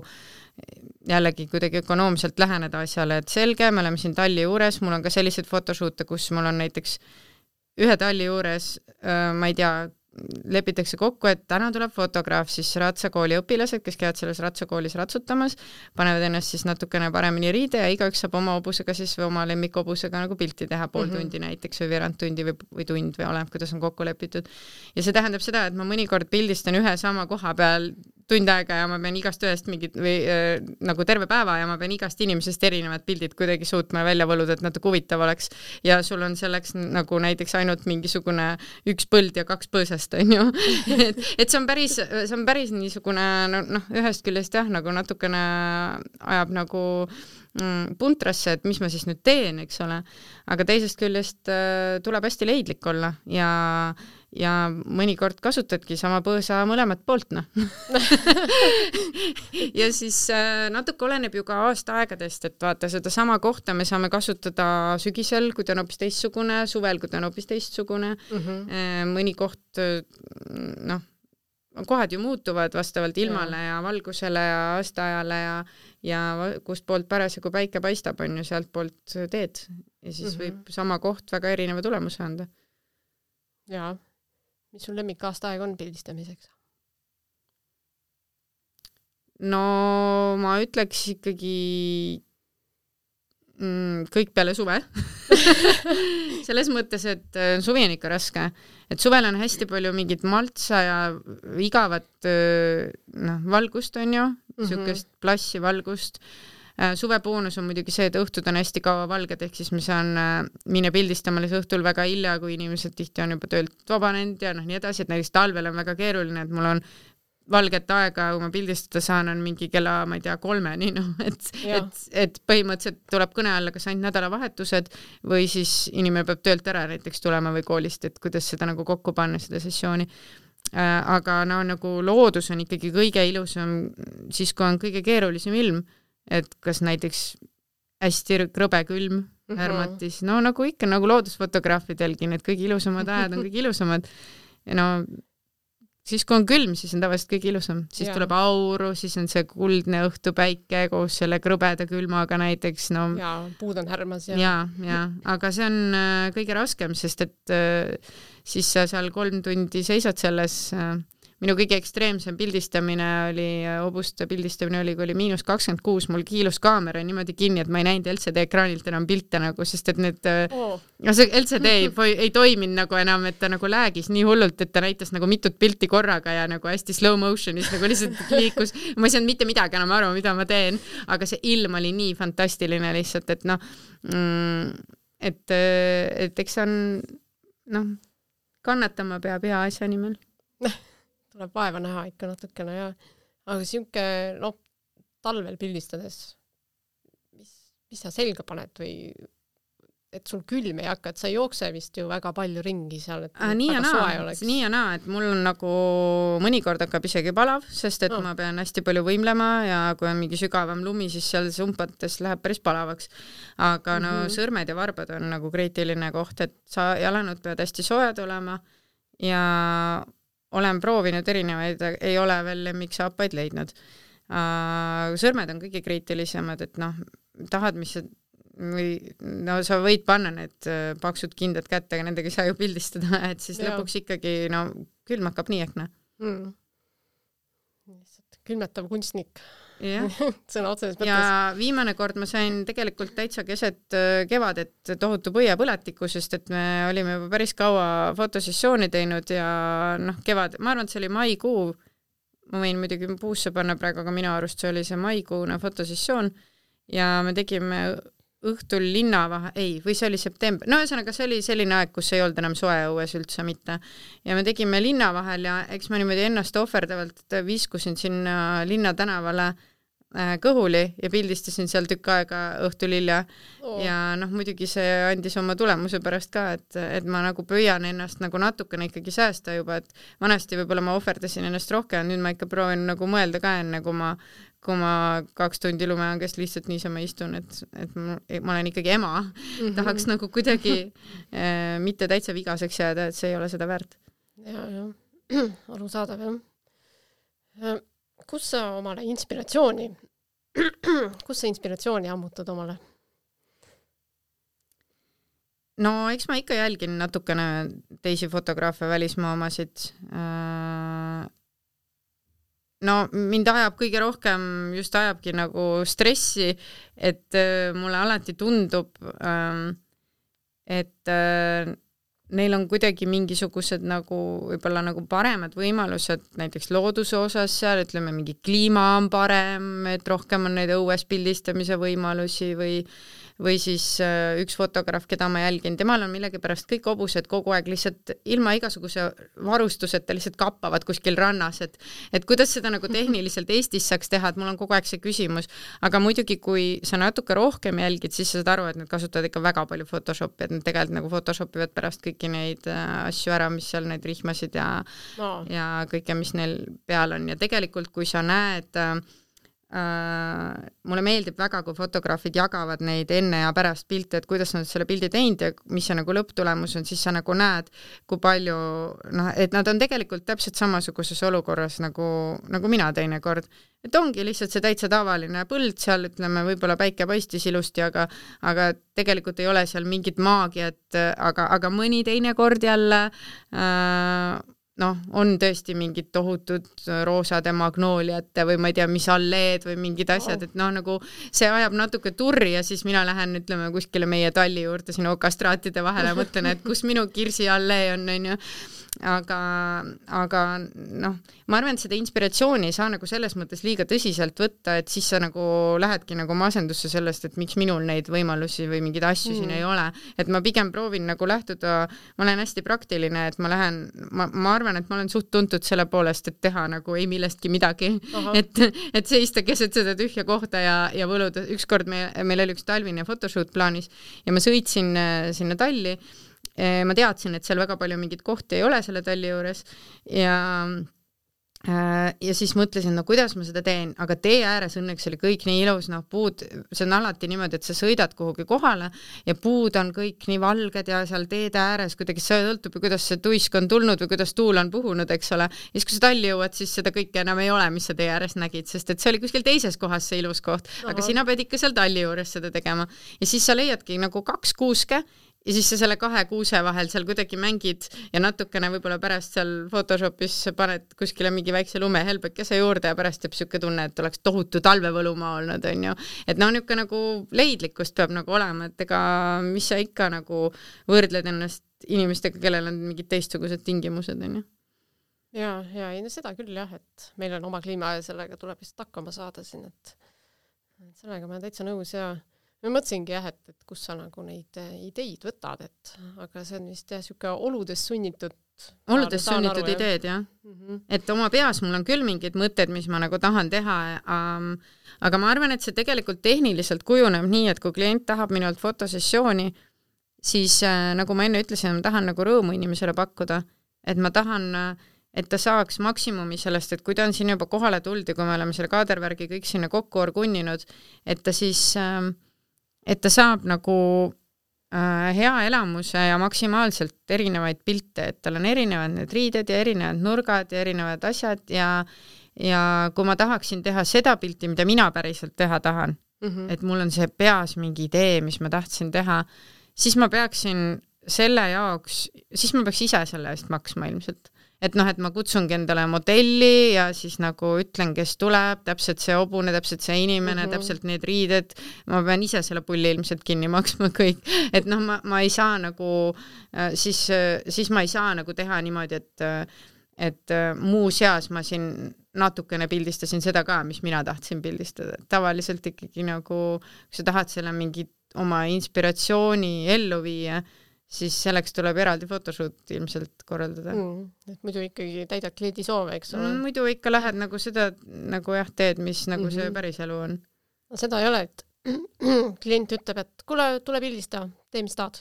jällegi kuidagi ökonoomselt läheneda asjale, et selge, me oleme siin talli juures, mul on ka sellised fotoshoote, kus mul on näiteks ühe talli juures, ma ei tea, lepitakse kokku, et täna tuleb fotograaf, siis ratsakooli õpilased, kes käivad selles ratsakoolis ratsutamas, panevad ennast siis natukene paremini riide ja igaüks saab oma hobusega siis või oma lemmikhobusega nagu pilti teha pool mm-hmm. tundi näiteks või veerand tundi või, või tund või oleneb, kuidas on kokku lepitud. Ja see tähendab seda, et ma mõnikord pildistan ühe sama koha peal tund aega ja ma pean igast ühest mingit või äh, nagu terve päeva ja ma pean igast inimesest erinevad pildid kuidagi suutma välja võluda, et natuke huvitav oleks. Ja sul on selleks nagu näiteks ainult mingisugune üks põld ja kaks põõsast, on ju. et, et see on päris, see on päris niisugune, noh, ühest küljest jah, nagu natukene ajab nagu mm, puntrasse, et mis ma siis nüüd teen, eks ole. Aga teisest küljest äh, tuleb hästi leidlik olla ja ja mõnikord kasutadki sama põõsa mõlemat poolt, noh. ja siis äh, natuke oleneb ju ka aastaaegadest, et vaata, seda sama kohta me saame kasutada sügisel, kui ta on hoopis teistsugune, suvel, kui ta on hoopis teistsugune. Mm -hmm. Mõni koht, noh, kohad ju muutuvad vastavalt ilmale ja, ja valgusele ja aastaajale ja, ja kust poolt parasjagu päike paistab, on ju, sealt poolt teed. Ja siis mm -hmm. võib sama koht väga erineva tulemuse anda.
Jaa. Mis sul lemmik aastaaeg on pildistamiseks?
No ma ütleks ikkagi mm, kõik peale suve. Selles mõttes, et suvi on ikka raske. Et suvel on hästi palju mingit maltsa ja igavat no, valgust, on ju, mm-hmm. sükest plassi valgust. Suvepoonus on muidugi see, et õhtud on hästi kaua valged, ehk siis ma saan minna pildistama õhtul väga hilja, kui inimesed tihti on juba töölt vabanenud ja noh, nii edasi, et näiteks talvel on väga keeruline, et mul on valget aega, kui ma pildistada saan, on mingi kella, ma ei tea, kolmeni, noh, et, et, et põhimõtteliselt tuleb kõne alla kas ainult nädalavahetused või siis inimene peab töölt ära näiteks tulema või koolist, et kuidas seda nagu kokku panna, seda sessiooni. Aga no nagu loodus on ikkagi kõige ilusam siis, kui on kõige keerulisem ilm. Et kas näiteks hästi krõbe külm härmatis, no nagu ikka, nagu loodusfotograafidelgi, need kõige ilusamad ajad on kõige ilusamad. Ja no siis, kui on külm, siis on tavaliselt kõige ilusam. Siis ja. Tuleb auru, siis on see kuldne õhtupäike koos selle krõbeda külmaga näiteks. No,
ja, puud on härmas.
Ja, ja, ja, aga see on äh, kõige raskem, sest et äh, siis sa seal kolm tundi seisad selles äh, minu kõige ekstreemsem pildistamine oli, hobuste pildistamine oli, kui oli miinus kakskümmend kuus, mul kiilus kaamera niimoodi kinni, et ma ei näinud L C D ekraanilt enam pilte nagu, sest et need oh. no see L C D ei, ei toiminud nagu enam, et ta nagu läägis nii hullult, et ta näitas nagu mitut pilti korraga ja nagu hästi slow motionis nagu lihtsalt liikus. Ma ei saanud mitte midagi enam aru, mida ma teen, aga see ilm oli nii fantastiline lihtsalt, et noh, mm, et, et eks on, noh, kannatama peab hea asja nimel.
Tuleb vaeva näha ikka natukene ja aga siuke, noh, talvel pildistades, mis, mis sa selga paned või et sul külm ei hakka, et sa ei jookse vist ju väga palju ringi seal, et
ah, nii, ja naa, nii ja naa, et mul on nagu mõnikord hakkab isegi palav, sest et no. ma pean hästi palju võimlema ja kui on mingi sügavam lumi, siis seal sumpates läheb päris palavaks. Aga mm-hmm. no sõrmed ja varbad on nagu kriitiline koht, et sa jalanud pead hästi soojad olema ja olen proovinud erinevaid, ei ole veel lemmiksaapaid leidnud. Sõrmed on kõige kriitilisemad, et noh, tahad, mis sa, või, no sa võid panna need paksud kindad kätte, aga nendega ei saa ju pildistada, et siis ja. Lõpuks ikkagi, no külm hakkab nii ehk näe. Mm.
Külmetav kunstnik.
Yeah.
Sõna otseses mõttes.
Ja viimane kord ma sain tegelikult täitsa keset kevadet tohutu põiapõlatiku, sest et me olime juba päris kaua fotosessiooni teinud ja noh, kevad, ma arvan, et see oli maikuu, ma võin muidugi puusse panna praegu, aga minu arust see oli see maikuune fotosessioon ja me tegime õhtul linna vahe, ei, või see oli september, no ühesõnaga see oli selline aeg, kus ei olnud enam soe õues üldse mitte. Ja me tegime linna vahel ja eks ma niimoodi ennast ohverdavalt viskusin sinna linna tänavale kõhuli ja pildistasin seal tükk aega õhtul hilja oh. ja noh, muidugi see andis oma tulemuse pärast ka, et, et ma nagu püüan ennast nagu natukene ikkagi säästa juba, et vanasti võib-olla ma ohverdasin ennast rohkem, nüüd ma ikka proovin nagu mõelda ka enne, kui ma, kui ma kaks tundi lumeangest lihtsalt niisama istun, et, et ma, ma olen ikkagi ema, mm-hmm. tahaks nagu kuidagi äh, mitte täitsa vigaseks jääda, et see ei ole seda väärt.
Ja, ja, arusaadav, jah. Kus sa omale inspiratsiooni, kus sa inspiratsiooni ammutad omale?
No eks ma ikka jälgin natukene teisi fotograafe, välismaa omasid. No mind ajab kõige rohkem, just ajabki nagu stressi, et mulle alati tundub, et neil on kuidagi mingisugused nagu võib-olla nagu paremad võimalused näiteks looduse osas seal, ütleme mingi kliima on parem, et rohkem on neid õues pildistamise võimalusi või või siis üks fotograaf, keda ma jälgin, temal on millegipärast kõik hobused kogu aeg lihtsalt ilma igasuguse varustuseta lihtsalt kappavad kuskil rannas, et et kuidas seda nagu tehniliselt Eestis saaks teha, et mul on kogu aeg see küsimus, aga muidugi kui sa natuke rohkem jälgid, siis sa saad aru, et nad kasutavad ikka väga palju Photoshopi, et nad tegelikult nagu Photoshopivad pärast kõiki neid asju ära, mis seal neid rihmasid ja no. ja kõike, mis neil peal on ja tegelikult kui sa näed Uh, mulle meeldib väga, kui fotograafid jagavad neid enne ja pärast pilte, et kuidas nad selle pildi teinud ja mis see nagu lõpptulemus on, siis sa nagu näed, kui palju, noh, et nad on tegelikult täpselt samasuguses olukorras nagu, nagu mina teinekord. Et ongi lihtsalt see täitsa tavaline põld seal, ütleme, võib-olla päike paistis ilusti, aga, aga tegelikult ei ole seal mingit maagiat, aga, aga mõni teinekord jälle uh, noh, on tõesti mingid tohutud roosade magnooliate või ma ei tea, mis alleed või mingid asjad, et noh, nagu see ajab natuke turri ja siis mina lähen, ütleme, kuskile meie talli juurde sinna okastraatide vahele ja mõtlen, et kus minu kirsi allee on, on ju. Aga, aga noh, ma arvan, et seda inspiratsiooni ei saa nagu selles mõttes liiga tõsiselt võtta, et siis sa nagu lähedki nagu masendusse sellest, et miks minul neid võimalusi või mingeid asju mm. siin ei ole. Et ma pigem proovin nagu lähtuda, ma olen hästi praktiline, et ma lähen, ma, ma arvan, et ma olen suht tuntud selle poolest, et teha nagu ei millestki midagi, et, et seista keset seda tühja kohta ja, ja võluda. Ükskord me, meil oli üks talvine photoshoot plaanis ja ma sõitsin sinna talli. Ma teadsin, et seal väga palju mingit kohti ei ole selle talli juures ja ja siis mõtlesin, no kuidas ma seda teen, aga tee ääres õnneks oli kõik nii ilus, noh puud, see on alati niimoodi, et sa sõidad kuhugi kohale ja puud on kõik nii valged ja seal teede ääres kuidagi see sõltub, kuidas see tuisk on tulnud või kuidas tuul on puhunud, eks ole. Ja siis, kui sa talli jõuad, siis seda kõike enam ei ole, mis sa tee ääres nägid, sest et see oli kuskil teises kohas see ilus koht, aga Aha. sina pead ikka seal talli juures seda tegema. Ja siis sa leiadki nagu kaks kuuske ja siis sa selle kahe kuuse vahel seal kuidagi mängid ja natukene võib-olla pärast seal Photoshopis paned kuskile mingi väikse lumehelbekese juurde ja pärast teeb siuke tunne, et oleks tohutu talvevõlumaa olnud, on ju. Et noh, niuke nagu leidlikkust peab nagu olema, et ega mis sa ikka nagu võrdled ennast inimestega, kellel on mingid teistsugused tingimused, on ju.
Ja, ja ei, no seda küll jah, et meil on oma kliima ja sellega tuleb vist hakkama saada siin, et sellega ma olen täitsa nõus ja ma mõtlesingi jah, et, et kus sa nagu neid ideid võtad, et aga see on vist jah siuke oludes sunnitud
oludes sunnitud aru, ideed, jah. Mm -hmm. Et oma peas mul on küll mingid mõtted, mis ma nagu tahan teha, ähm, aga ma arvan, et see tegelikult tehniliselt kujuneb nii, et kui klient tahab minult fotosessiooni, siis äh, nagu ma enne ütlesin, ma tahan nagu rõõmu inimesele pakkuda, et ma tahan äh, et ta saaks maksimumi sellest, et kui ta on siin juba kohale tulnud ja kui me oleme selle kaadervärgi kõik sinna kokku orgunninud, et ta siis äh, et ta saab nagu äh, hea elamuse ja maksimaalselt erinevaid pilte, et tal on erinevad need riided ja erinevad nurgad ja erinevad asjad ja, ja kui ma tahaksin teha seda pilti, mida mina päriselt teha tahan, mm -hmm. et mul on see peas mingi idee, mis ma tahtsin teha, siis ma peaksin selle jaoks, siis ma peaks ise selle eest maksma ilmselt. Et noh, et ma kutsungi endale modelli ja siis nagu ütlen, kes tuleb, täpselt see hobune, täpselt see inimene, mm -hmm. täpselt need riided, ma pean ise selle pulli ilmselt kinni maksma kõik. Et noh, ma, ma ei saa nagu, siis, siis ma ei saa nagu teha niimoodi, et, et muu seas ma siin natukene pildistasin seda ka, mis mina tahtsin pildistada. Tavaliselt ikkagi nagu, kui sa tahad selle mingi oma inspiratsiooni ellu viia, siis selleks tuleb eraldi photoshoot ilmselt korraldada. Mm,
et muidu ikkagi täidad kliendi soove, eks ole?
Mm, muidu ikka lähed nagu seda nagu jah teed, mis nagu mm -hmm. see päris elu on.
No seda ei ole, et klient ütleb, et kuule, tule pildista, tee mis tahad.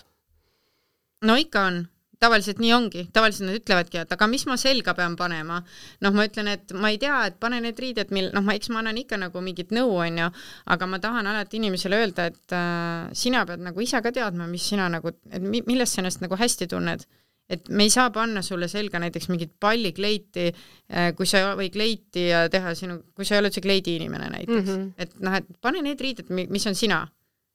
No ikka on. Tavaliselt nii ongi. Tavaliselt nad ütlevadki, et aga mis ma selga pean panema? Noh, ma ütlen, et ma ei tea, et pane need riided, mil, noh, ma, eks ma annan ikka nagu mingit nõu, on ju, aga ma tahan alati inimesele öelda, et äh, sina pead nagu ise ka teadma, mis sina nagu, et millest sa ennast nagu hästi tunned. Et me ei saa panna sulle selga näiteks mingit pallikleiti, äh, kui sa, või kleiti ja teha sinu, kui sa ei ole üldse kleidi inimene näiteks. Mm -hmm. Et noh, et pane need riided, mis on sina.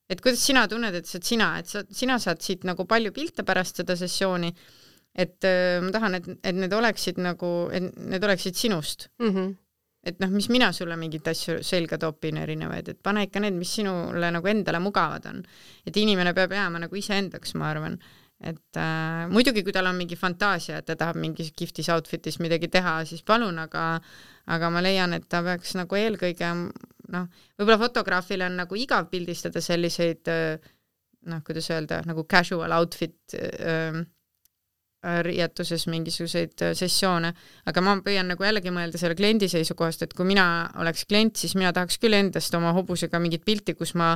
Et kuidas sina tunned, et see on sina, et sa, sina saad siit nagu palju pilte pärast seda sessiooni, et äh, ma tahan, et, et need oleksid nagu, et need oleksid sinust. Mm -hmm. Et noh, mis mina sulle mingit asju selga topin erinevaid, et pane ikka need, mis sinule nagu endale mugavad on. Et inimene peab jääma nagu iseendaks, ma arvan. et äh, muidugi, kui tal on mingi fantaasia, et ta tahab mingis giftis outfitis midagi teha, siis palun, aga aga ma leian, et ta peaks nagu eelkõige noh, võib-olla fotograafil on nagu igav pildistada selliseid noh, kuidas öelda, nagu casual outfit äh, riietuses mingisuguseid sessioone, aga ma püüan nagu jällegi mõelda selle kliendi seisukohast, et kui mina oleks klient, siis mina tahaks küll endast oma hobusega mingit pilti, kus ma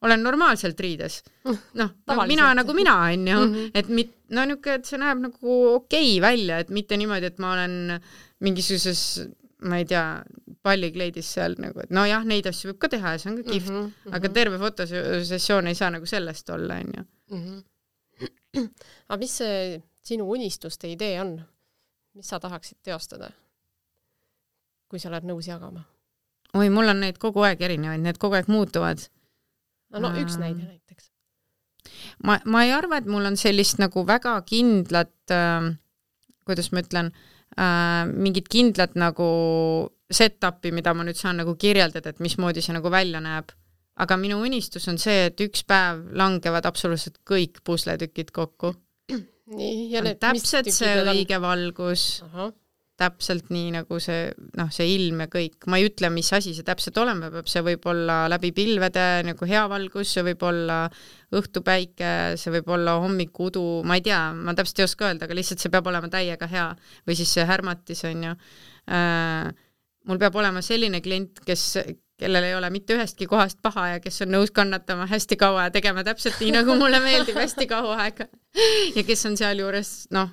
olen normaalselt riides. Noh, no, mina nagu mina on ju, mm -hmm. et mit, no niuke, et see näeb nagu okei välja, et mitte niimoodi, et ma olen mingisuguses, ma ei tea, pallikleidis seal nagu, et no jah, neid asju võib ka teha ja see on ka kihvt, mm -hmm. aga terve fotosessioon ei saa nagu sellest olla, on ju.
Mm -hmm. aga mis see sinu unistuste idee on? Mis sa tahaksid teostada, kui sa oled nõus jagama?
Oi, mul on neid kogu aeg erinevaid, need kogu aeg muutuvad.
No, no üks näide näiteks.
Ma, ma ei arva, et mul on sellist nagu väga kindlat, äh, kuidas ma ütlen, äh, mingit kindlat nagu set-upi, mida ma nüüd saan nagu kirjeldada, et mismoodi see nagu välja näeb. Aga minu unistus on see, et üks päev langevad absoluutselt kõik pusletükid kokku.
Nii, ja need,
täpselt see õige on? Valgus,
Aha.
täpselt nii nagu see, noh, see ilm ja kõik. Ma ei ütle, mis asi see täpselt olema peab, see võib olla läbi pilvede nagu hea valgus, see võib olla õhtupäike, see võib olla hommikuudu, ma ei tea, ma täpselt ei oska öelda, aga lihtsalt see peab olema täiega hea. Või siis see härmatis on ju. Äh, mul peab olema selline klient, kes kellel ei ole mitte ühestki kohast paha ja kes on nõus kannatama hästi kaua ja tegema täpselt nii, nagu mulle meeldib hästi kaua aega. Ja kes on seal juures, noh,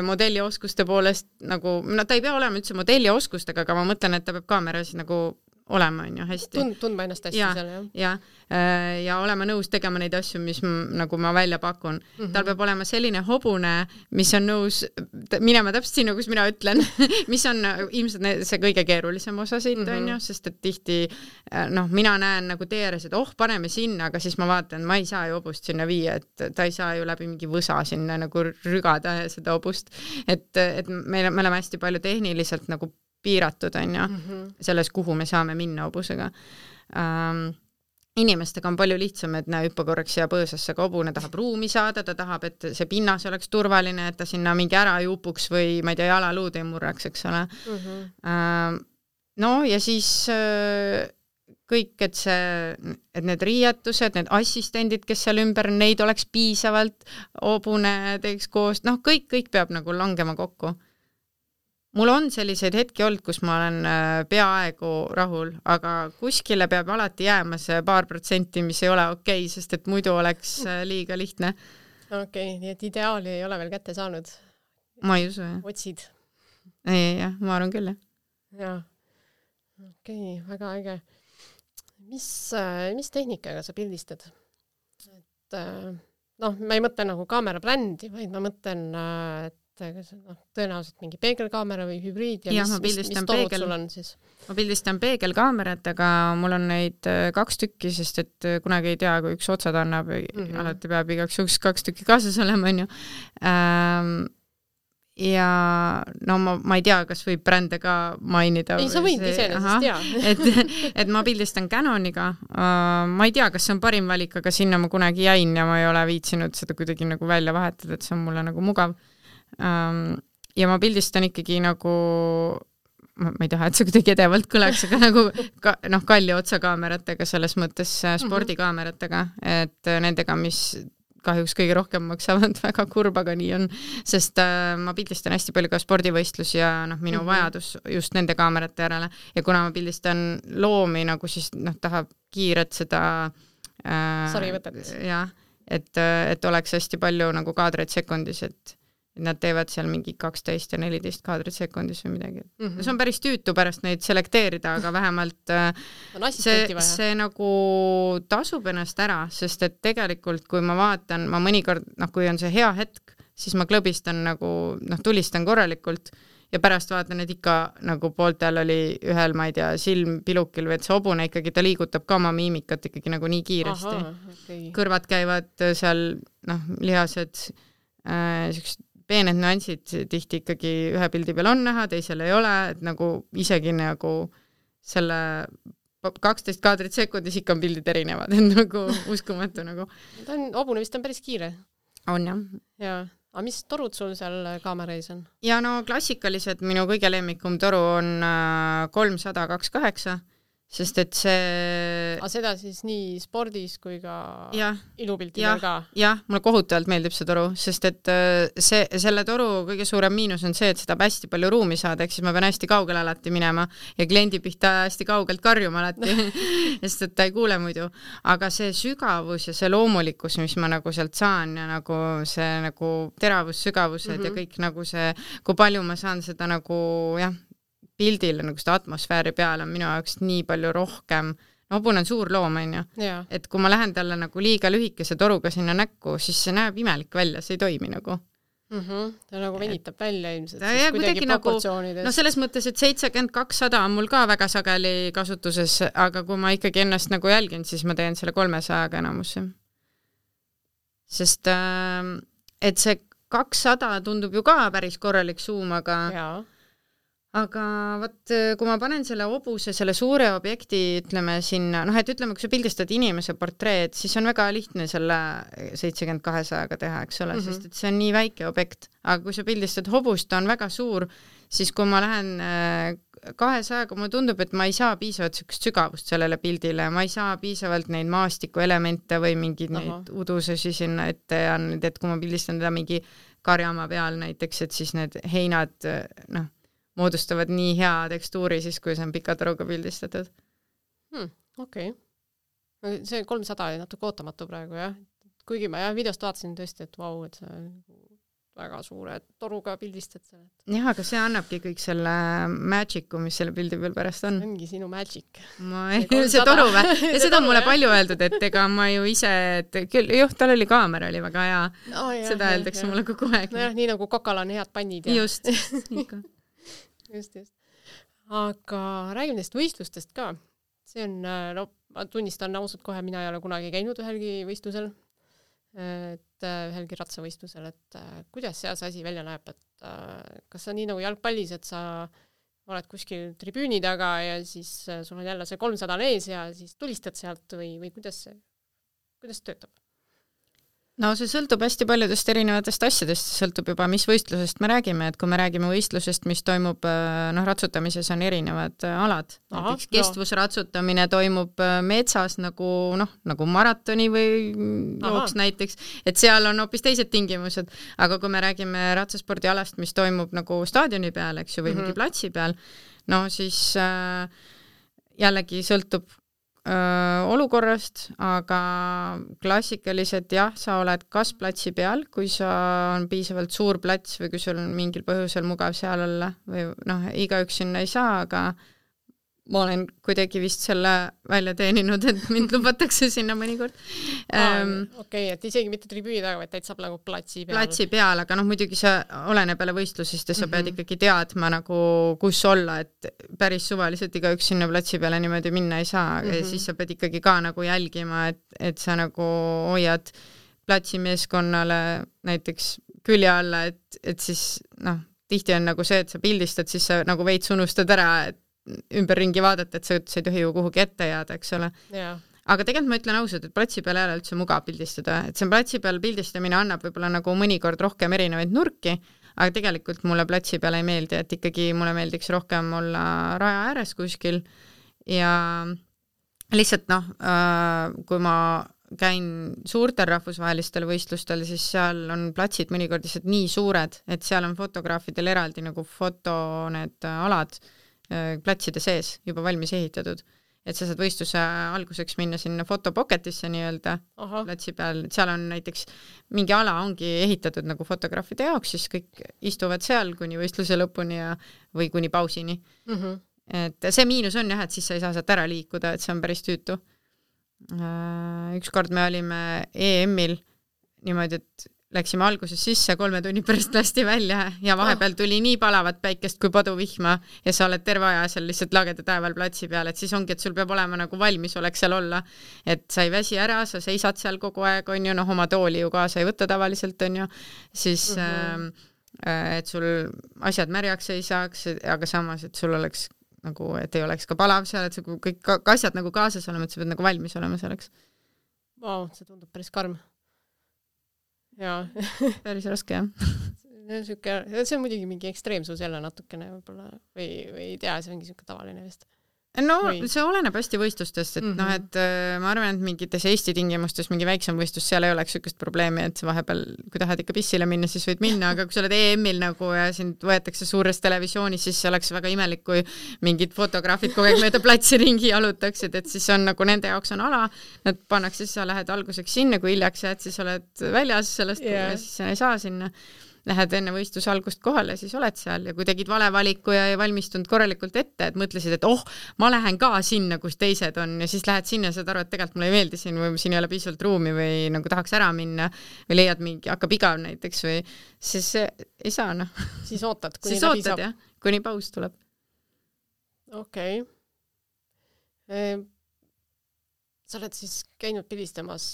modellioskuste poolest nagu, no ta ei pea olema üldse modellioskusega, aga ma mõtlen, et ta peab kaameras nagu olema, on ju, hästi.
Tund, tundma ennast hästi
ja,
seal, jah.
Ja, ja olema nõus tegema neid asju, mis m, nagu ma välja pakun. Mm -hmm. Tal peab olema selline hobune, mis on nõus minema täpselt sinna, kus mina ütlen, mis on ilmselt see kõige keerulisem osa siit, mm -hmm. on ju, sest et tihti, noh, mina näen nagu tee ääres, et oh, paneme sinna, aga siis ma vaatan, ma ei saa ju hobust sinna viia, et ta ei saa ju läbi mingi võsa sinna nagu rügada seda hobust. Et, et me, me oleme hästi palju tehniliselt nagu piiratud, on ju, mm -hmm. selles, kuhu me saame minna hobusega. Ähm, inimestega on palju lihtsam, et näe, hüppa korraks siia põõsasse, ka hobune tahab ruumi saada, ta tahab, et see pinnas oleks turvaline, et ta sinna mingi ära ei upuks või ma ei tea, jalaluud ei murraks, eks ole. Mm -hmm. ähm, no ja siis äh, kõik, et see, et need riietused, need assistendid, kes seal ümber, neid oleks piisavalt, hobune teeks koos, noh, kõik, kõik peab nagu langema kokku. Mul on selliseid hetki olnud, kus ma olen peaaegu rahul, aga kuskile peab alati jääma see paar protsenti, mis ei ole okei, okay, sest et muidu oleks liiga lihtne.
Okei, okay, nii et ideaali ei ole veel kätte saanud?
Ma ei usu, jah.
Otsid?
Ei, jah, ma arvan küll, jah.
Jaa, okei, okay, väga äge. Mis, mis tehnikaga sa pildistad? Et, noh, ma ei mõtle nagu kaamera brändi, vaid ma mõtlen, et no, tõenäoliselt mingi peegelkaamera või hübriid ja, ja mis, mis, mis torud peegel, sul on siis?
Ma pildistan peegelkaameratega, mul on neid kaks tükki, sest et kunagi ei tea, kui üks otsad annab, mm -hmm. alati peab igaks juhuks kaks tükki kaasas olema, on ju. Ähm, ja no ma, ma ei tea, kas võib brände ka mainida.
Ei, sa võid iseenesest, jaa.
et, et ma pildistan Canoniga. Uh, ma ei tea, kas see on parim valik, aga sinna ma kunagi jäin ja ma ei ole viitsinud seda kuidagi nagu välja vahetada, et see on mulle nagu mugav. Um, ja ma pildistan ikkagi nagu, ma, ma ei taha, et see kuidagi edevalt kõleks, aga nagu ka, noh, kalli otsakaameratega, selles mõttes spordikaameratega, et nendega, mis kahjuks kõige rohkem maksavad, väga kurb, aga nii on, sest äh, ma pildistan hästi palju ka spordivõistlus ja noh, minu mm -hmm. vajadus just nende kaamerate järele ja kuna ma pildistan loomi nagu siis noh, tahab kiiret seda
äh, sarivõtet.
Jah, et, et oleks hästi palju nagu kaadreid sekundis, et nad teevad seal mingi kaksteist ja neliteist kaadrit sekundis või midagi. Mm -hmm. See on päris tüütu pärast neid selekteerida, aga vähemalt see, see nagu tasub ennast ära, sest et tegelikult, kui ma vaatan, ma mõnikord, noh, kui on see hea hetk, siis ma klõbistan nagu, noh, tulistan korralikult ja pärast vaatan, et ikka nagu pooltel oli ühel, ma ei tea, silm pilukil või et see hobune ikkagi, ta liigutab ka oma miimikat ikkagi nagu nii kiiresti. Aha, okay. Kõrvad käivad seal, noh, lihased, äh, siuksed peened nüansid tihti ikkagi ühe pildi peal on näha, teisel ei ole, et nagu isegi nagu selle kaksteist kaadrit sekundis ikka on pildid erinevad, et nagu uskumatu nagu.
Ta on, hobune vist on päris kiire.
on jah.
ja, aga mis torud sul seal kaamera ees on?
Ja no klassikalised, minu kõige lemmikum toru on kolmsada kakskümmend kaheksa, sest et see...
Aga seda siis nii spordis kui ka
ja,
ilupiltidel ka?
Jah, mulle kohutavalt meeldib see toru, sest et see, selle toru kõige suurem miinus on see, et seda peab hästi palju ruumi saada, ehk siis ma pean hästi kaugele alati minema ja kliendi pihta hästi kaugelt karjuma alati, sest et ta ei kuule muidu. Aga see sügavus ja see loomulikkus, mis ma nagu sealt saan ja nagu see nagu teravus, sügavused mm-hmm. ja kõik nagu see, kui palju ma saan seda nagu jah, pildil nagu seda atmosfääri peal on minu jaoks nii palju rohkem, no hobune on suur loom, on ju, et kui ma lähen talle nagu liiga lühikese toruga sinna näkku, siis see näeb imelik välja, see ei toimi nagu.
Mm-hmm. Ta nagu venitab välja ilmselt,
siis kuidagi proportsioonides. Nagu, no selles mõttes, et seitsekümmend kakssada on mul ka väga sageli kasutuses, aga kui ma ikkagi ennast nagu jälgin, siis ma teen selle kolmesajaga enamusse. Sest et see kakssada tundub ju ka päris korralik suum, aga jaa. Aga võt, kui ma panen selle hobuse, selle suure objekti, ütleme sinna, noh, et ütleme, kui sa pildistad inimese portreed, siis on väga lihtne selle seitsekümmend kahesajaga teha, eks ole, mm-hmm. sest et see on nii väike objekt. Aga kui sa pildistad hobust, ta on väga suur, siis kui ma lähen kahesajaga, mulle tundub, et ma ei saa piisavalt sügavust sellele pildile, ma ei saa piisavalt neid maastikuelemente või mingeid Aha. neid udususi sinna ette ja nüüd, et kui ma pildistan teda mingi karjamaa peal näiteks, et siis need heinad, noh, moodustavad nii hea tekstuuri siis, kui see on pika toruga pildistatud.
Hmm, okei. Okay. See kolmsada oli natuke ootamatu praegu, jah. Kuigi ma jah, videost vaatasin tõesti, et vau, et see väga suure toruga pildistad seal.
Jah, aga see annabki kõik selle magicu, mis selle pildi peal pärast on.
Ongi sinu magic.
Ma ei, see toru või? Ja seda on mulle palju öeldud, et ega ma ju ise, et küll, juh, tal oli kaamera, oli väga hea. Oh, jah, seda öeldakse mulle kogu aeg.
No jah, nii nagu kokal on head pannid. Ja.
Just, ikka.
Just, just. Aga räägime neist võistlustest ka. See on, no, ma tunnistan ausalt kohe, mina ei ole kunagi käinud ühelgi võistlusel, et ühelgi ratsavõistlusel, et kuidas seal see asi välja näeb, et kas see on nii nagu jalgpallis, et sa oled kuskil tribüüni taga ja siis sul on jälle see kolmsada ees ja siis tulistad sealt või, või kuidas see, kuidas töötab?
No see sõltub hästi paljudest erinevatest asjadest, sõltub juba, mis võistlusest me räägime, et kui me räägime võistlusest, mis toimub, noh, ratsutamises on erinevad alad. Aha, näiteks kestvusratsutamine toimub metsas nagu, noh, nagu maratoni või jooks näiteks, et seal on hoopis teised tingimused, aga kui me räägime ratsaspordialast, mis toimub nagu staadioni peal, eks ju, või mm-hmm. mingi platsi peal, no siis äh, jällegi sõltub Öö, olukorrast, aga klassikaliselt jah, sa oled kas platsi peal, kui sa on piisavalt suur plats või kui sul on mingil põhjusel mugav seal olla või noh, igaüks sinna ei saa, aga ma olen kuidagi vist selle välja teeninud, et mind lubatakse sinna mõnikord.
Ähm, Okei, okay, et isegi mitte tribüüni taga, vaid täitsa nagu platsi peal.
Platsi peal, aga noh, muidugi sa oleneb jälle võistlusest ja sa mm-hmm. pead ikkagi teadma nagu, kus olla, et päris suvaliselt igaüks sinna platsi peale niimoodi minna ei saa mm-hmm. ja siis sa pead ikkagi ka nagu jälgima, et, et sa nagu hoiad platsimeeskonnale näiteks külje alla, et, et siis noh, tihti on nagu see, et sa pildistad, siis sa nagu veits unustad ära, et ümberringi vaadata, et sa, sa ei tohi ju kuhugi ette jääda, eks ole.
Yeah.
Aga tegelikult ma ütlen ausalt, et platsi peal ei ole üldse mugav pildistada, et see platsi peal pildistamine annab võib-olla nagu mõnikord rohkem erinevaid nurki, aga tegelikult mulle platsi peal ei meeldi, et ikkagi mulle meeldiks rohkem olla raja ääres kuskil ja lihtsalt noh, kui ma käin suurtel rahvusvahelistel võistlustel, siis seal on platsid mõnikord lihtsalt nii suured, et seal on fotograafidel eraldi nagu foto need alad platside sees juba valmis ehitatud, et sa saad võistluse alguseks minna sinna fotopocketisse nii-öelda Aha. platsi peal, et seal on näiteks mingi ala ongi ehitatud nagu fotograafide jaoks, siis kõik istuvad seal kuni võistluse lõpuni ja, või kuni pausini. Mm-hmm. Et see miinus on jah, et siis sa ei saa sealt ära liikuda, et see on päris tüütu. Ükskord me olime E M-il niimoodi, et läksime alguses sisse, kolme tunni pärast lasti välja ja vahepeal tuli nii palavat päikest kui paduvihma ja sa oled terve aja seal lihtsalt lageda taeval platsi peal, et siis ongi, et sul peab olema nagu valmis oleks seal olla, et sa ei väsi ära, sa seisad seal kogu aeg, on ju, noh, oma tooli ju kaasa ei võta tavaliselt, on ju, siis mm-hmm. äh, et sul asjad märjaks ei saaks, aga samas, et sul oleks nagu, et ei oleks ka palav seal, et kõik asjad nagu kaasas olema, et sa pead nagu valmis olema selleks.
Vau, see tundub päris karm. jaa.
päris raske, jah.
Süke, see on muidugi mingi ekstreemsus jälle natukene võib-olla või, või ei tea, see ongi siuke tavaline vist.
No või? See oleneb hästi võistlustest, et mm -hmm. noh, et äh, ma arvan, et mingites Eesti tingimustes mingi väiksem võistlus, seal ei oleks sükest probleemi, et vahepeal, kui tahad ikka pissile minna, siis võid minna, aga kui sa oled E M-il nagu ja sind võetakse suures televisioonis, siis see oleks väga imelik, kui mingid fotograafid kogu aeg mööda platsi ringi jalutaksid, et siis on nagu nende jaoks on ala, nad pannakse, siis sa lähed alguseks sinna, kui hiljaks jääd, siis oled väljas sellest yeah. ja siis sa ei saa sinna. Lähed enne võistluse algust kohale, siis oled seal ja kui tegid vale valiku ja ei valmistunud korralikult ette, et mõtlesid, et oh, ma lähen ka sinna, kus teised on ja siis lähed sinna ja saad aru, et tegelikult mulle ei meeldi siin või siin ei ole piisavalt ruumi või nagu tahaks ära minna või leiad mingi, hakkab igav näiteks või siis ei saa, noh.
Siis ootad, kuni
siis ootad, jah, kuni paus tuleb.
Okei. Okay. Sa oled siis käinud pildistamas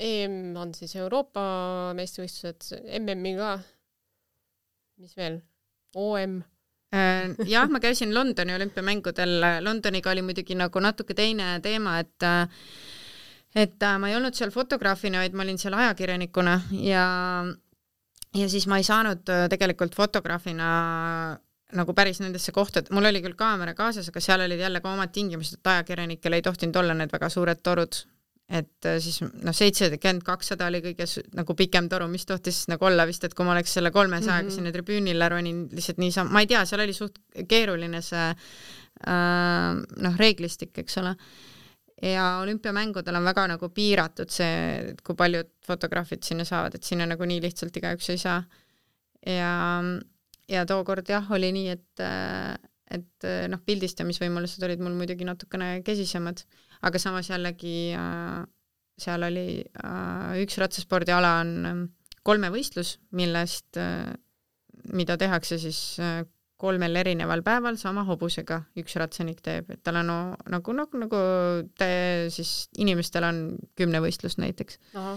E M on siis Euroopa meistrivõistlused, M M-i ka. Mis veel? O M?
Jah, ma käisin Londoni olümpiamängudel. Londoniga oli muidugi nagu natuke teine teema, et, et ma ei olnud seal fotograafina, vaid ma olin seal ajakirjanikuna ja, ja siis ma ei saanud tegelikult fotograafina nagu päris nendesse kohtad. Mul oli küll kaamera kaasas, aga seal olid jälle ka omad tingimused, et ajakirjanikel ei tohtinud olla need väga suured torud. Et siis noh, seitsekümmend kakssada oli kõige nagu pikem toru, mis tohtis nagu olla vist, et kui ma oleks selle kolmesajaga mm-hmm. sinna tribüünile ronin lihtsalt niisama, ma ei tea, seal oli suht keeruline see äh, noh, reeglistik, eks ole. Ja olümpiamängudel on väga nagu piiratud see, kui paljud fotograafid sinna saavad, et sinna nagu nii lihtsalt igaüks ei saa. Ja, ja tookord jah, oli nii, et et noh, pildistamisvõimalused olid mul muidugi natukene kesisemad, aga samas jällegi äh, seal oli äh, üks ratsaspordiala on äh, kolmevõistlus, millest äh, mida tehakse siis äh, kolmel erineval päeval sama hobusega üks ratsanik teeb, et tal on no, nagu, nagu, nagu te, siis inimestel on kümnevõistlus näiteks. Aha.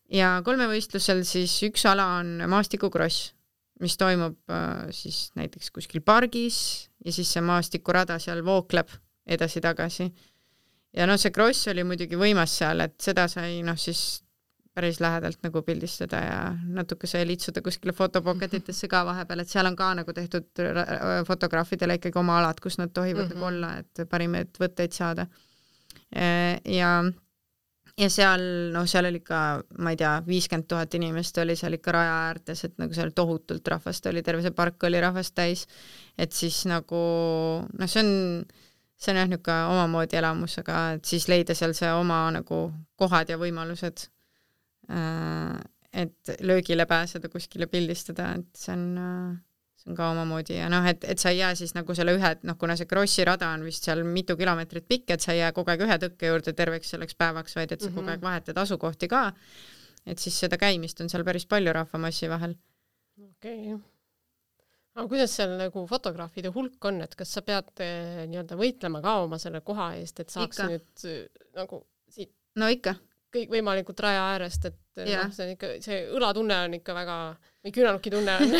Ja kolmevõistlusel siis üks ala on maastikukross, mis toimub äh, siis näiteks kuskil pargis ja siis see maastikurada seal vookleb edasi-tagasi. Ja no see kross oli muidugi võimas seal, et seda sai noh siis päris lähedalt nagu pildistada ja natuke sai litsuda kuskile fotopocketitesse ka vahepeal, et seal on ka nagu tehtud fotograafidele ikkagi oma alad, kus nad tohivad mm-hmm. nagu olla, et parimaid võtteid saada. Ja Ja seal, noh, seal oli ka, ma ei tea, viiskümmend tuhat inimest oli seal ikka raja äärtes, et nagu seal tohutult rahvast oli, terve see park oli rahvast täis, et siis nagu, noh, see on, see on jah niisugune omamoodi elamus, aga et siis leida seal see oma nagu kohad ja võimalused, et löögile pääseda, kuskile pildistada, et see on... see on ka omamoodi ja noh, et, et sa ei jää siis nagu selle ühe, noh, kuna see krossi rada on vist seal mitu kilomeetrit pikk, et sa ei jää kogu aeg ühe tõkke juurde terveks selleks päevaks, vaid et sa mm-hmm. kogu aeg vahetad asukohti ka, et siis seda käimist on seal päris palju rahvamassi vahel.
Okei. Okay. Aga kuidas seal nagu fotograafide hulk on, et kas sa pead eh, nii-öelda võitlema ka oma selle koha eest, et saaks ikka. Nüüd nagu siit
no ikka.
Kõik võimalikult raja äärest, et no, see, on ikka, see õlatunne on ikka väga, või küünanukki tunne on.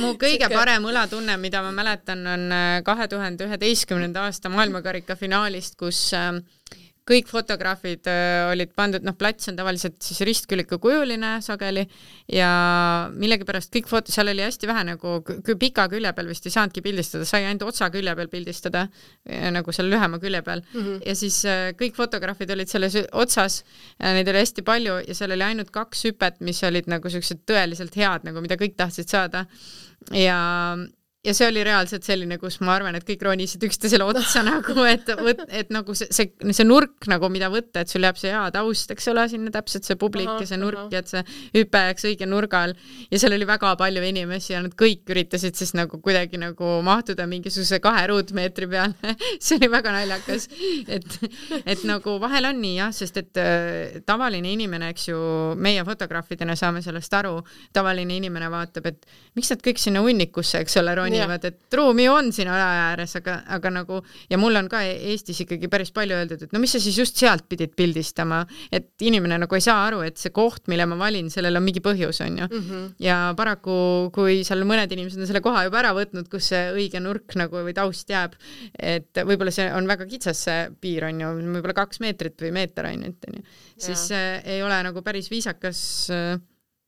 Mu kõige Sike... parem õlatunne, mida ma mäletan, on kahe tuhande üheteistkümnenda aasta maailmakarika finaalist, kus kõik fotograafid olid pandud, noh, plats on tavaliselt siis ristkülika kujuline sageli ja millegipärast kõik foto, seal oli hästi vähe nagu pika külje peal vist ei saanudki pildistada, sai ainult otsa külje peal pildistada, nagu seal lühema külje peal mm-hmm. ja siis kõik fotograafid olid selles otsas, neid oli hästi palju ja seal oli ainult kaks hüpet, mis olid nagu sellised tõeliselt head, nagu mida kõik tahtsid saada ja Ja see oli reaalselt selline, kus ma arvan, et kõik ronisid üksteisele otsa nagu, et, võt, et nagu see, see, see nurk, nagu mida võtta, et sul jääb see hea taust, eks ole, sinna täpselt see publik aha, ja see nurk aha. Ja et see hüpe jääks õige nurgal ja seal oli väga palju inimesi ja nad kõik üritasid siis nagu kuidagi nagu mahtuda mingisuguse kahe ruutmeetri peale. See oli väga naljakas, et, et nagu vahel on nii jah, sest et äh, tavaline inimene, eks ju, meie fotograafidena saame sellest aru, tavaline inimene vaatab, et miks nad kõik sinna unnikusse, eks ole, nivad, et ruumi on siin aja ääres, aga, aga nagu, ja mul on ka Eestis ikkagi päris palju öeldud, et no mis sa siis just sealt pidid pildistama, et inimene nagu ei saa aru, et see koht, mille ma valin, sellel on mingi põhjus, on ju. Mm-hmm. Ja paraku, kui seal mõned inimesed on selle koha juba ära võtnud, kus see õige nurk nagu või taust jääb, et võib-olla see on väga kitsas see piir, on ju, võib-olla kaks meetrit või meeter ainult, on ju. Siis äh, ei ole nagu päris viisakas äh,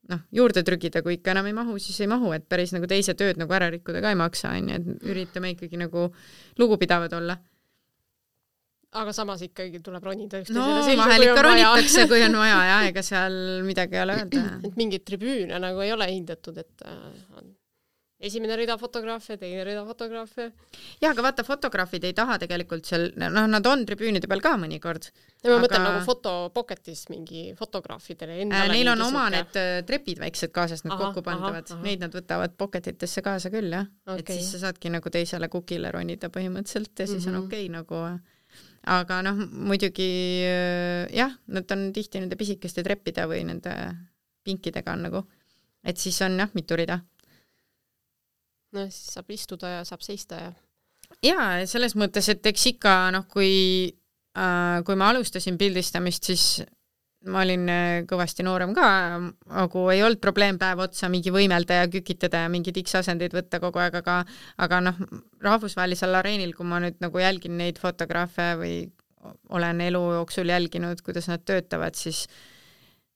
noh, juurde trügida, kui ikka enam ei mahu, siis ei mahu, et päris nagu teise tööd nagu ära rikkuda ka ei maksa, on ju, et üritame ikkagi nagu lugupidavad olla.
Aga samas ikkagi tuleb ronida
üksteisele no, selge, vahel ikka ronitakse, kui on vaja ja ega seal midagi ei ole öelda.
Et mingit tribüüne nagu ei ole hindatud, et on esimene rida fotograafe, teine rida fotograafe.
Ja, aga vaata, fotograafid ei taha tegelikult seal, noh, nad on tribüünide peal ka mõnikord.
Ja ma aga... mõtlen nagu fotopocketis mingi fotograafidele endale.
Äh, neil on oma suke. Need trepid väiksed kaasas, need aha, kokku pandavad. Aha, aha. Neid nad võtavad pocketitesse kaasa küll, jah. Okay. Et siis sa saadki nagu teisele kukile ronida põhimõtteliselt ja siis mm-hmm. on okei okay, nagu... Aga noh, muidugi jah, nad on tihti nende pisikeste treppide või nende pinkidega on nagu, et siis on jah, mitu rida.
No siis saab istuda ja saab seista ja...
Jaa, selles mõttes, et eks ikka, noh, kui, äh, kui ma alustasin pildistamist, siis ma olin kõvasti noorem ka, aga ei olnud probleem päev otsa mingi võimelda ja kükitada ja mingi X-asendeid võtta kogu aeg, aga, aga noh, rahvusvahelisel areenil, kui ma nüüd nagu jälgin neid fotograafe või olen elu jooksul jälginud, kuidas nad töötavad, siis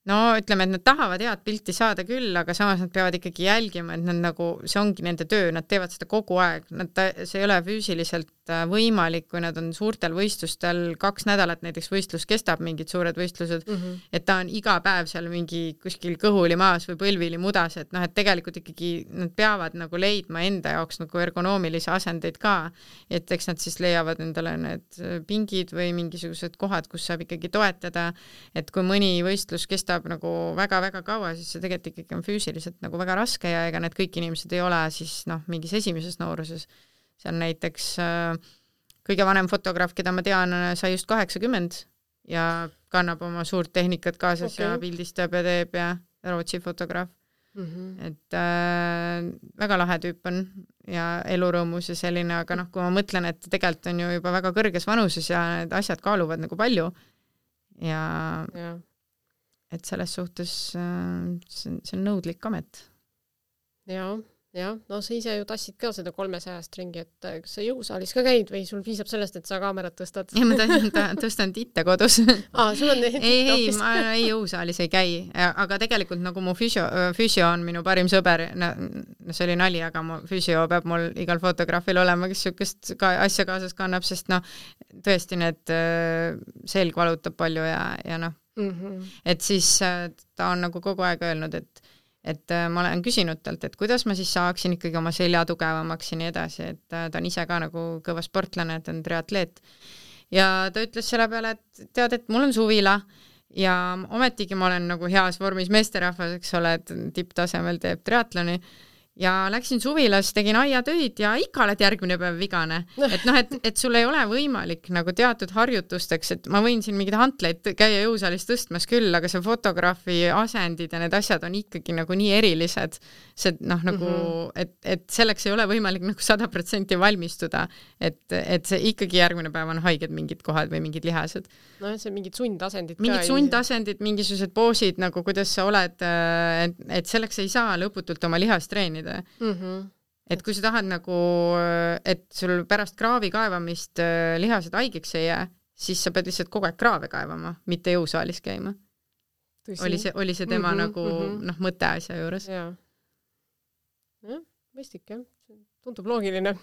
no ütleme, et nad tahavad head pilti saada küll, aga samas nad peavad ikkagi jälgima, et nad nagu, see ongi nende töö, nad teevad seda kogu aeg, nad, see ei ole füüsiliselt võimalik, kui nad on suurtel võistlustel, kaks nädalat näiteks võistlus kestab, mingid suured võistlused, mm -hmm. et ta on iga päev seal mingi kuskil kõhuli maas või põlvili mudas, et noh, et tegelikult ikkagi nad peavad nagu leidma enda jaoks nagu ergonoomilisi asendeid ka, et eks nad siis leiavad endale need pingid või mingisugused kohad, kus saab ikkagi toetada, et kui mõni võistlus kestab nagu väga-väga kaua, siis see tegelikult ikkagi on füüsiliselt nagu väga raske ja ega need kõik inimesed ei ole siis noh, mingis esimeses nooruses. See on näiteks äh, kõige vanem fotograaf, keda ma tean, sai just kaheksakümmend ja kannab oma suurt tehnikat kaasas okay. ja pildistab ja teeb ja Rootsi fotograaf. Mm -hmm. Et äh, väga lahe tüüp on ja elurõõmus ja selline, aga noh, kui ma mõtlen, et tegelikult on ju juba väga kõrges vanuses ja need asjad kaaluvad nagu palju ja... ja. Et selles suhtes see on, see on nõudlik amet.
Jaa, jah. No sa ise ju tassid ka seda kolmesajast ringi, et kas sa jõusaalis ka käid või sul piisab sellest, et sa kaamerat tõstad?
Ja ma tõstan, tõstan titte kodus.
Aa, sul on
ei, ei, ma ei jõusaalis ei käi, aga tegelikult nagu mu füüsio, füüsio on minu parim sõber, no see oli nali, aga mu füüsio peab mul igal fotograafil olema, kes sükest ka asja kaasas kannab, sest noh, tõesti need selg valutab palju ja, ja noh, Mm-hmm. et siis ta on nagu kogu aeg öelnud, et, et ma olen küsinud talt, et kuidas ma siis saaksin ikkagi oma selja tugevamaks ja nii edasi, et ta on ise ka nagu kõva sportlane, et on triatleet. Ja ta ütles selle peale, et tead, et mul on suvila ja ometigi ma olen nagu heas vormis meesterahvas, eks ole, et tipptasemel teeb triatloni. Ja läksin suvilas, tegin aiatöid ja ikka oled järgmine päev vigane. Et noh, et, et sul ei ole võimalik nagu teatud harjutusteks, et ma võin siin mingid hantleid käia jõusaalis tõstmas küll, aga see fotograafi asendid ja need asjad on ikkagi nagu nii erilised, see noh, nagu, mm-hmm. et, et selleks ei ole võimalik nagu sada protsenti valmistuda, et, et see ikkagi järgmine päev on haiged mingid kohad või mingid lihased.
No see mingid sundasendid
mingid ka. Mingid sundasendid, mingisugused poosid, nagu kuidas sa oled, et, et selleks ei saa lõputult oma lihast treenida. Mm-hmm. Et kui sa tahad nagu, et sul pärast kraavi kaevamist lihased haigeks ei jää, siis sa pead lihtsalt kogu aeg kraave kaevama, mitte jõusaalis käima. Oli see, oli see tema mm-hmm, nagu mm-hmm. noh, mõte asja juures.
Jaa. Ja, mõistik, jah. Tundub loogiline.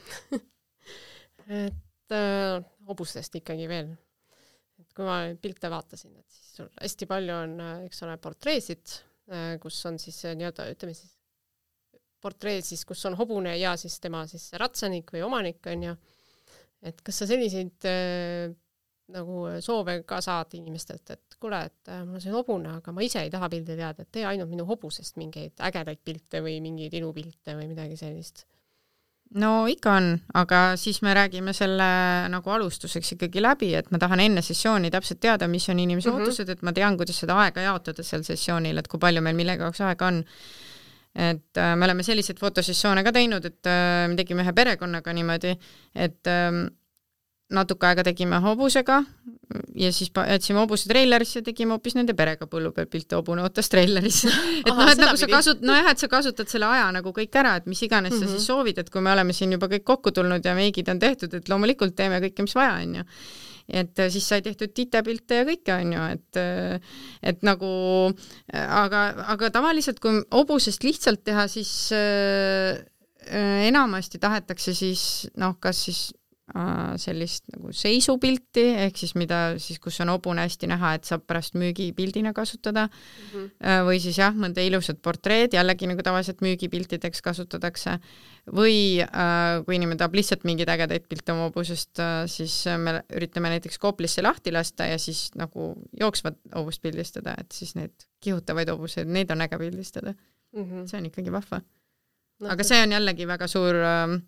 et äh, hobustest ikkagi veel. Et kui ma pilte vaatasin, et siis sul hästi palju on, eks ole, portreesid, kus on siis nii-öelda, ütleme siis portreed siis, kus on hobune ja siis tema siis ratsanik või omanik on ju. Et kas sa selliseid äh, nagu soove ka saad inimestelt, et kuule, et äh, mul on see hobune, aga ma ise ei taha pildi teada, et tee ainult minu hobusest mingeid ägedaid pilte või mingeid ilupilte või midagi sellist.
No ikka on, aga siis me räägime selle nagu alustuseks ikkagi läbi, et ma tahan enne sessiooni täpselt teada, mis on inimese mm-hmm. ootused, et ma tean, kuidas seda aega jaotada seal sessioonil, et kui palju meil millega jaoks aega on. Et äh, me oleme selliseid fotosessioone ka teinud, et äh, me tegime ühe perekonnaga niimoodi, et äh, natuke aega tegime hobusega ja siis jätsime hobuse treilerisse ja tegime hoopis nende perega põllu peal pilte, hobune ootas treilerisse. et Aha, noh, et nagu sa kasut-, no jah, et sa kasutad selle aja nagu kõik ära, et mis iganes mm-hmm. sa siis soovid, et kui me oleme siin juba kõik kokku tulnud ja meigid on tehtud, et loomulikult teeme kõike, mis vaja on ju. et siis sai tehtud titepilte ja kõike on ju, et et nagu aga, aga tavaliselt kui hobusest lihtsalt teha, siis äh, enamasti tahetakse siis noh, kas siis äh, sellist nagu seisupilti, ehk siis mida siis, kus on hobune hästi näha, et saab pärast müügipildina kasutada mm-hmm. äh, või siis jah, mõnda ilusat portreed, jällegi nagu tavaliselt müügipiltideks kasutatakse või äh, kui inimene tahab lihtsalt mingeid ägedaid pilte oma hobusest, äh, siis me üritame näiteks Koplisse lahti lasta ja siis nagu jooksvat hobust pildistada, et siis need kihutavaid hobuseid, neid on äge pildistada mm-hmm. see on ikkagi vahva no, aga see on jällegi väga suur äh,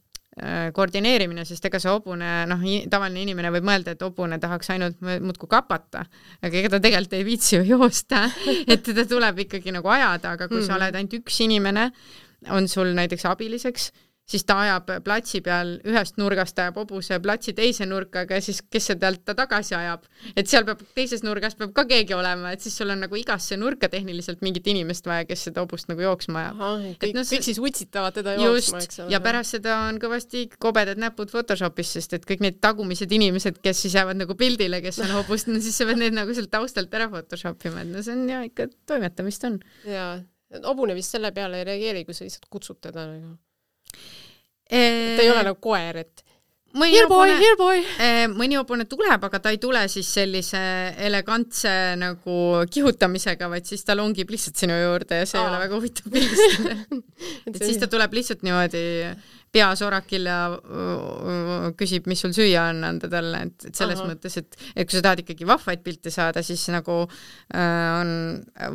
koordineerimine, sest ega see hobune, noh, tavaline inimene võib mõelda, et hobune tahaks ainult muudku kapata, aga ega ta tegelikult ei viitsi ju joosta, et teda tuleb ikkagi nagu ajada, aga kui mm-hmm. sa oled ainult üks inimene, on sul näiteks abiliseks, siis ta ajab platsi peal, ühest nurgast ajab hobuse platsi teise nurkaga ja siis kes see pealt ta tagasi ajab. Et seal peab, teises nurgas peab ka keegi olema, et siis sul on nagu igasse nurka tehniliselt mingit inimest vaja, kes seda hobust nagu jooksma ajab.
Aha, kõik, no, kõik siis utsitavad teda
just,
jooksma, eks ole.
Ja pärast seda on kõvasti kobedad näpud Photoshopis, sest et kõik need tagumised inimesed, kes siis jäävad nagu pildile, kes on hobust, no siis sa pead need nagu sealt taustalt ära Photoshopima, et no see on ja ikka toimetamist on.
Jaa, hobune vist selle peale ei reageeri, kui sa lihtsalt kutsud teda nagu. Ta ei ole nagu koer, et
mõni
here boy,
hobune,
here boy.
Mõni hobune tuleb, aga ta ei tule siis sellise elegantse nagu kihutamisega, vaid siis ta longib lihtsalt sinu juurde ja see Aa. Ei ole väga huvitav pildistada. et siis ta tuleb lihtsalt niimoodi peasorakil ja küsib, mis sul süüa on anda talle, et, et selles Aha. mõttes, et, et kui sa tahad ikkagi vahvaid pilte saada, siis nagu äh, on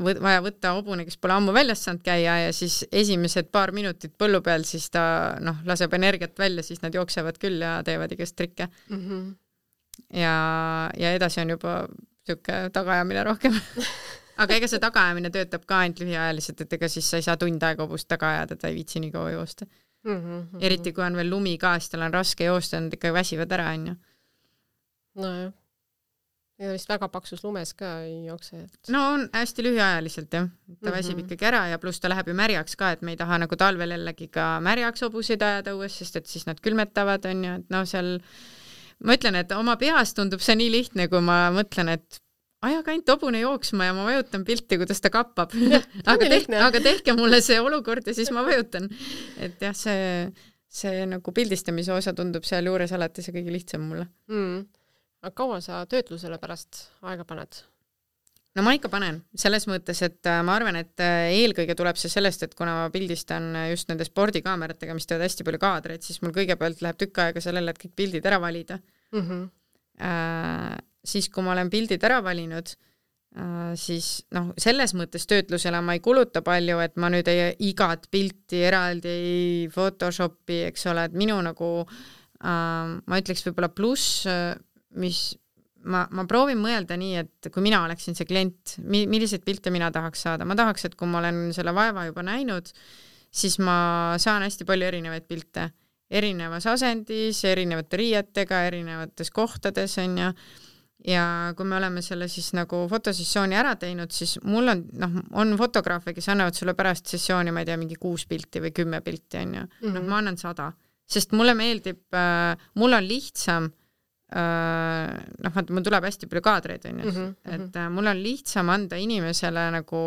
võ- vaja võtta hobune, kes pole ammu väljas saanud käia ja siis esimesed paar minutit põllu peal, siis ta noh, laseb energiat välja, siis nad jooksevad küll ja teevad igast trikke. Mm-hmm. Ja, ja edasi on juba siuke tagaajamine rohkem. aga ega see tagaajamine töötab ka ainult lühiajaliselt, et ega siis sa ei saa tund aega hobust taga ajada, ta ei viitsi nii kaua joosta. Mm-hmm, mm-hmm. Eriti kui on veel lumi ka, siis tal on raske joosta, nad ikka väsivad ära, on ju.
No jah. Ja vist väga paksus lumes ka ei jookse. Et...
No on hästi lühiajaliselt, jah. Ta mm-hmm. väsib ikkagi ära ja pluss ta läheb ju märjaks ka, et me ei taha nagu talvel jällegi ka märjaks hobuseid ajada õues, sest et siis nad külmetavad, on ju, et no seal ma ütlen, et oma peas tundub see nii lihtne, kui ma mõtlen, et ajaga ainult hobune jooksma ja ma vajutan pilti, kuidas ta kappab. aga, tehke, aga tehke mulle see olukord ja siis ma vajutan. Et jah, see, see nagu pildistamise osa tundub seal juures alati see kõige lihtsam mulle.
Mm. Aga kaua sa töötlusele pärast aega paned?
No ma ikka panen. Selles mõttes, et ma arvan, et eelkõige tuleb see sellest, et kuna ma pildistan just nende spordikaameratega, mis teevad hästi palju kaadreid, siis mul kõigepealt läheb tükk aega sellele, et kõik pildid ära valida. Mm-hmm. Äh, siis kui ma olen pildid ära valinud, siis noh, selles mõttes töötlusele ma ei kuluta palju, et ma nüüd ei igat pilti eraldi ei Photoshopi, eks ole, et minu nagu ma ütleks võib-olla pluss, mis ma, ma proovin mõelda nii, et kui mina oleksin see klient, milliseid pilte mina tahaks saada, ma tahaks, et kui ma olen selle vaeva juba näinud, siis ma saan hästi palju erinevaid pilte erinevas asendis, erinevate riietega, erinevates kohtades on ja ja kui me oleme selle siis nagu fotosessiooni ära teinud, siis mul on, noh, on fotograafe, kes annavad sulle pärast sessiooni, ma ei tea, mingi kuus pilti või kümme pilti on ju. Mm-hmm. Noh, ma annan sada, sest mulle meeldib, äh, mul on lihtsam äh, noh, vaata, mul tuleb hästi palju kaadreid on ju, mm-hmm. et äh, mul on lihtsam anda inimesele nagu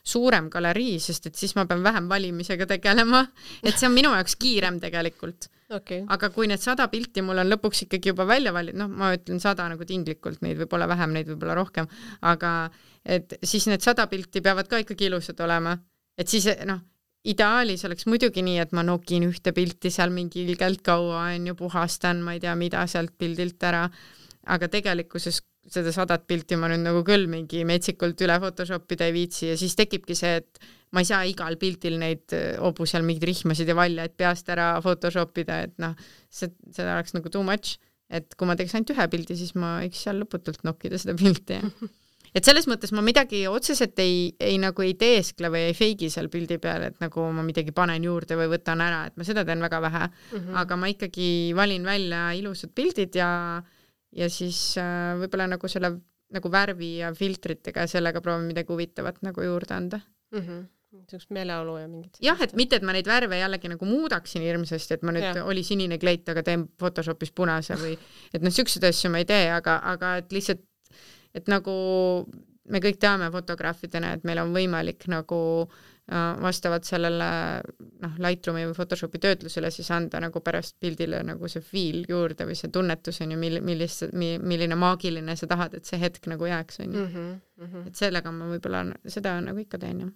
suurem galerii, sest et siis ma pean vähem valimisega tegelema, et see on minu jaoks kiirem tegelikult. Okay. Aga kui need sada pilti mul on lõpuks ikkagi juba välja valid, noh, ma ütlen sada nagu tinglikult, neid võib olla vähem, neid võib olla rohkem, aga et siis need sada pilti peavad ka ikkagi ilusad olema. Et siis, noh, ideaalis oleks muidugi nii, et ma nokin ühte pilti seal mingi ilgelt kaua on ju, puhastan, ma ei tea, mida sealt pildilt ära, aga tegelikkuses seda sadat pilti ma nüüd nagu küll mingi metsikult üle Photoshopida ei viitsi ja siis tekibki see, et ma ei saa igal pildil neid hobu seal mingid rihmasid ja valjaid peast ära Photoshopida, et noh, see, seda oleks nagu too much, et kui ma teeks ainult ühe pildi, siis ma võiks seal lõputult nokkida seda pilti. Et selles mõttes ma midagi otseselt ei, ei nagu ei teeskle või ei feigi seal pildi peal, et nagu ma midagi panen juurde või võtan ära, et ma seda teen väga vähe, mm-hmm. aga ma ikkagi valin välja ilusad pildid ja ja siis äh, võib-olla nagu selle nagu värvi ja filtritega sellega proovin midagi huvitavat nagu juurde anda.
Mm-hmm. niisugust meeleolu ja mingit
jah, et mitte, et ma neid värve jällegi nagu muudaksin hirmsasti, et ma nüüd ja. oli sinine kleit, aga teen Photoshopis punase või et noh, siukseid asju ma ei tee, aga, aga et lihtsalt, et nagu me kõik teame fotograafidena, et meil on võimalik nagu vastavalt sellele noh, Lightroomi või Photoshopi töötlusele siis anda nagu pärast pildile nagu see feel juurde või see tunnetus on ju, mil, millist, milline maagiline sa tahad, et see hetk nagu jääks on ju. Mm-hmm, mm-hmm. Et sellega ma võib-olla seda nagu ikka teen jah.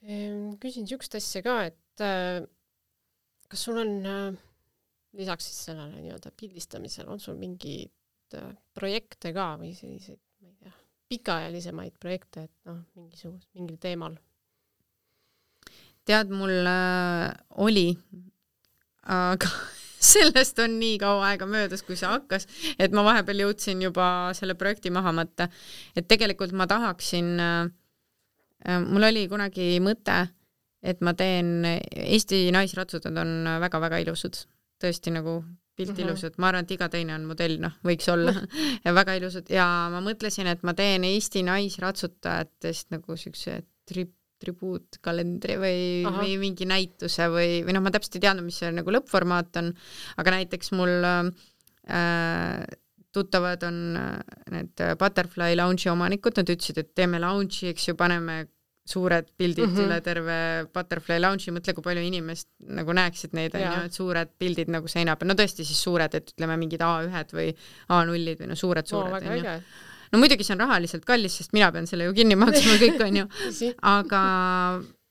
Mm-hmm. Küsin siukest asja ka, et äh, kas sul on äh, lisaks siis sellele nii-öelda pildistamisel, on sul mingid äh, projekte ka või selliseid, ma ei tea, pikaajalisemaid projekte, et noh, mingisugust, mingil teemal?
Tead, mul äh, oli, aga sellest on nii kaua aega möödas, kui see hakkas, et ma vahepeal jõudsin juba selle projekti maha mõtta. Et tegelikult ma tahaksin, äh, mul oli kunagi mõte, et ma teen, Eesti naisratsutad on väga-väga ilusad, tõesti nagu pilt uh-huh. ilusad, ma arvan, et iga teine on modell, noh, võiks olla ja väga ilusad ja ma mõtlesin, et ma teen Eesti naisratsutajatest nagu siukse tri- tribuutkalendri või, või mingi näituse või, või noh, ma täpselt ei teadnud, mis see nagu lõppformaat on, aga näiteks mul äh, tuttavad on need Butterfly Lounge'i omanikud, nad ütlesid, et teeme lounge'i, eks ju, paneme suured pildid mm-hmm. üle terve Butterfly Lounge'i, mõtle, kui palju inimest nagu näeksid neid, on ju, et suured pildid nagu seina peal, no tõesti siis suured, et ütleme mingid A üks või A null või no suured, suured,
no,
on ju. No muidugi see on rahaliselt kallis, sest mina pean selle ju kinni maksma kõik, on ju. Aga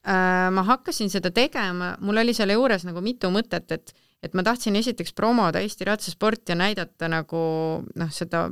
äh, ma hakkasin seda tegema, mul oli selle juures nagu mitu mõtet, et, et ma tahtsin esiteks promoda Eesti ratsasport ja näidata nagu noh, seda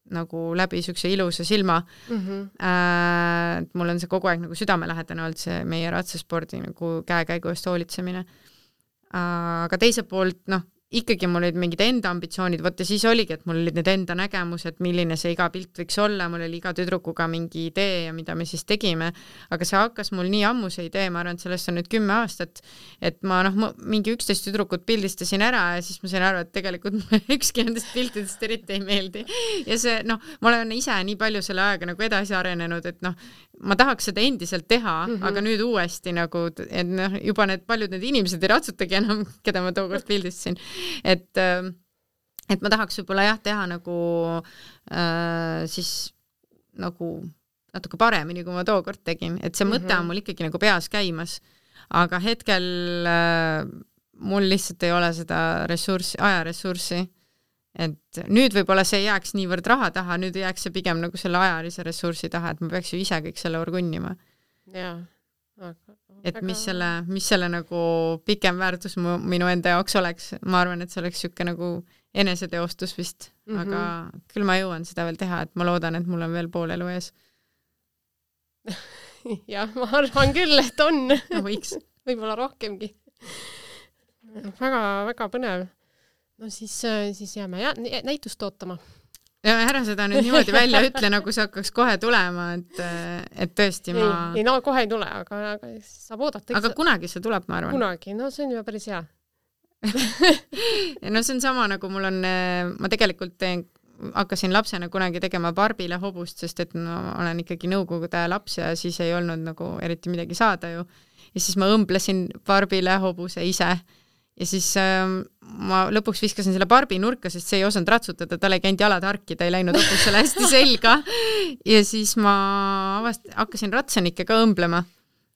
nagu läbi siukse ilusa silma. Mm-hmm. Äh, mul on see kogu aeg nagu südamelähedane olnud see meie ratsaspordi nagu käekäigu eest hoolitsemine. Äh, aga teiselt poolt, noh, ikkagi mul olid mingid enda ambitsioonid, võtta siis oligi, et mul olid need enda nägemused, milline see iga pilt võiks olla, mul oli iga tüdrukuga mingi idee ja mida me siis tegime, aga see hakkas mul nii ammu see idee, ma arvan, et sellest on nüüd kümme aastat, et ma noh, mingi üksteist tüdrukut pildistasin ära ja siis ma sain aru, et tegelikult mulle ükski nendest piltidest eriti ei meeldi. Ja see, noh, ma olen ise nii palju selle ajaga nagu edasi arenenud, et noh, ma tahaks seda endiselt teha, mm-hmm. aga nüüd uuesti nagu, et noh, juba need paljud need inimesed ei ratsutagi enam, keda ma tookord pildistasin. Et, et ma tahaks võib-olla jah teha nagu äh, siis nagu natuke paremini, kui ma tookord tegin, et see mm-hmm. mõte on mul ikkagi nagu peas käimas, aga hetkel äh, mul lihtsalt ei ole seda ressurssi, ajaressurssi, et nüüd võib-olla see jääks niivõrd raha taha, nüüd jääks see pigem nagu selle ajalise ressursi taha, et ma peaks ju ise kõik selle orgunnima.
Jaa.
Aga, et mis selle, mis selle nagu pikem väärtus mu, minu enda jaoks oleks, ma arvan, et see oleks siuke nagu eneseteostus vist, mm-hmm. aga küll ma jõuan seda veel teha, et ma loodan, et mul on veel pool elu ees.
Jah, ma arvan küll, et on.
No, võiks.
Võib-olla rohkemgi. Väga, väga põnev. No siis, siis jääme ja, näitust ootama.
Ja ära seda nüüd niimoodi välja ütle, nagu see hakkaks kohe tulema, et, et tõesti ma...
Ei, ei no kohe ei tule, aga, aga saab oodata.
Aga kunagi see tuleb, ma arvan.
Kunagi, no see on juba päris hea.
Ja no see on sama, nagu mul on, ma tegelikult teen, hakkasin lapsena kunagi tegema Barbile hobust, sest et no, olen ikkagi nõukogude laps ja siis ei olnud nagu eriti midagi saada ju. Ja siis ma õmblesin Barbile hobuse ise. Ja siis ähm, ma lõpuks viskasin selle Barbi nurka, sest see ei osanud ratsutada, tal ei käinud jalad harki, ta ei läinud hobusele hästi selga. Ja siis ma avast, hakkasin ratsanikke ka õmblema,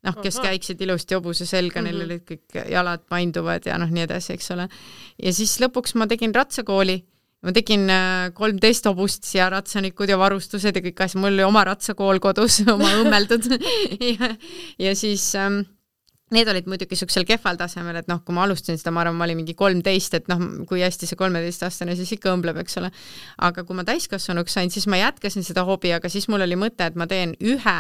noh, kes Aha. käiksid ilusti hobuse selga, neil mm-hmm. olid kõik jalad painduvad ja noh, nii edasi, eks ole. Ja siis lõpuks ma tegin ratsakooli, ma tegin kolmteist hobust ja ratsanikud ja varustused ja kõik asja, mul oli oma ratsakool kodus, oma õmmeldud. ja, ja siis... Ähm, Need olid muidugi siuksel kehval tasemel, et noh, kui ma alustasin seda, ma arvan, ma olin mingi kolmteist, et noh, kui hästi see kolmeteistaastane siis ikka õmbleb, eks ole. Aga kui ma täiskasvanuks sain, siis ma jätkasin seda hobi, aga siis mul oli mõte, et ma teen ühe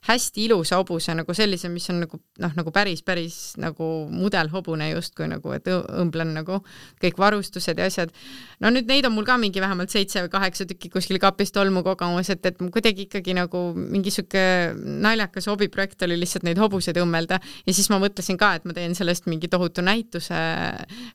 hästi ilusa hobuse, nagu sellise, mis on nagu, noh, nagu päris, päris nagu mudelhobune justkui nagu, et õmblen nagu kõik varustused ja asjad. No nüüd neid on mul ka mingi vähemalt seitse või kaheksa tükki kuskil kapist olmu kogemus, et, et kuidagi ikkagi nagu mingi siuke naljakas hobiprojekt oli lihtsalt neid hobuseid õmmelda ja siis ma mõtlesin ka, et ma teen sellest mingi tohutu näituse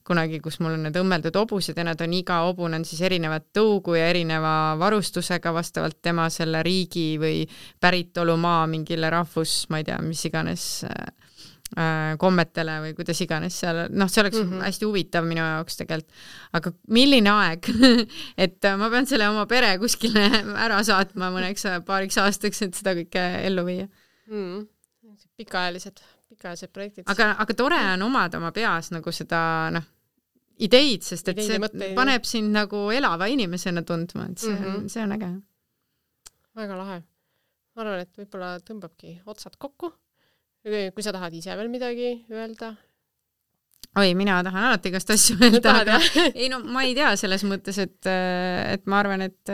kunagi, kus mul on need õmmeldud hobused ja nad on iga hobune on siis erinevat tõugu ja erineva varustusega vastavalt tema selle riigi või päritolumaa mingile rahvus, ma ei tea, mis iganes äh, kommetele või kuidas iganes seal, noh, see oleks mm -hmm. hästi huvitav minu jaoks tegelikult. Aga milline aeg, et ma pean selle oma pere kuskile ära saatma mõneks paariks aastaks, et seda kõike ellu viia
mm.. pikaajalised, pikaajalised projektid.
Aga, aga tore on omada oma peas nagu seda, noh, ideid, sest et ideid see mõtteid, paneb sind nagu elava inimesena tundma, et see, mm -hmm. see on äge.
Väga lahe. Ma arvan, et võib-olla tõmbabki otsad kokku. Kui sa tahad ise veel midagi öelda?
Oi, mina tahan alati igast asju öelda, aga ei no ma ei tea selles mõttes, et, et ma arvan, et,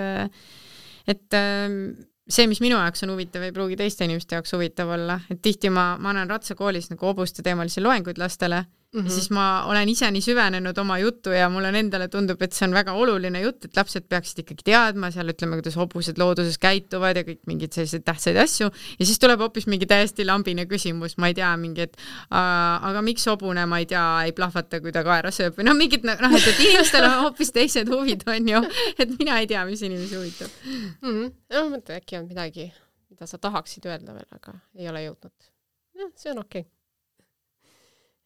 et see, mis minu jaoks on huvitav, ei pruugi teiste inimeste jaoks huvitav olla. Et tihti ma, ma annan ratsakoolis nagu hobuste teemalisi loenguid lastele mm -hmm. ja siis ma olen ise nii süvenenud oma juttu ja mulle endale tundub, et see on väga oluline jutt, et lapsed peaksid ikkagi teadma seal, ütleme, kuidas hobused looduses käituvad ja kõik mingid sellised tähtsaid asju ja siis tuleb hoopis mingi täiesti lambine küsimus, ma ei tea, mingi, et aga miks hobune, ma ei tea, ei plahvata, kui ta kaera sööb või noh, mingid, noh, et, et inimestel on hoopis teised huvid, on ju, et mina ei tea, mis inimesi huvitab
mm. -hmm. No mõtle, äkki on midagi, mida sa tahaksid öelda veel, aga ei ole jõudnud. Ja, see on okei. Okay.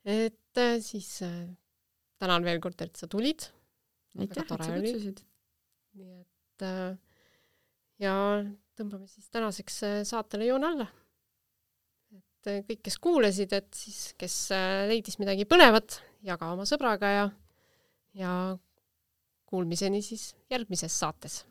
Et siis äh, tänan veel kord, et sa tulid.
Aitäh, et sa kutsusid.
Nii et äh, ja tõmbame siis tänaseks saatele joon alla. Et äh, kõik, kes kuulesid, et siis, kes äh, leidis midagi põnevat, jaga oma sõbraga ja, ja kuulmiseni siis järgmises saates.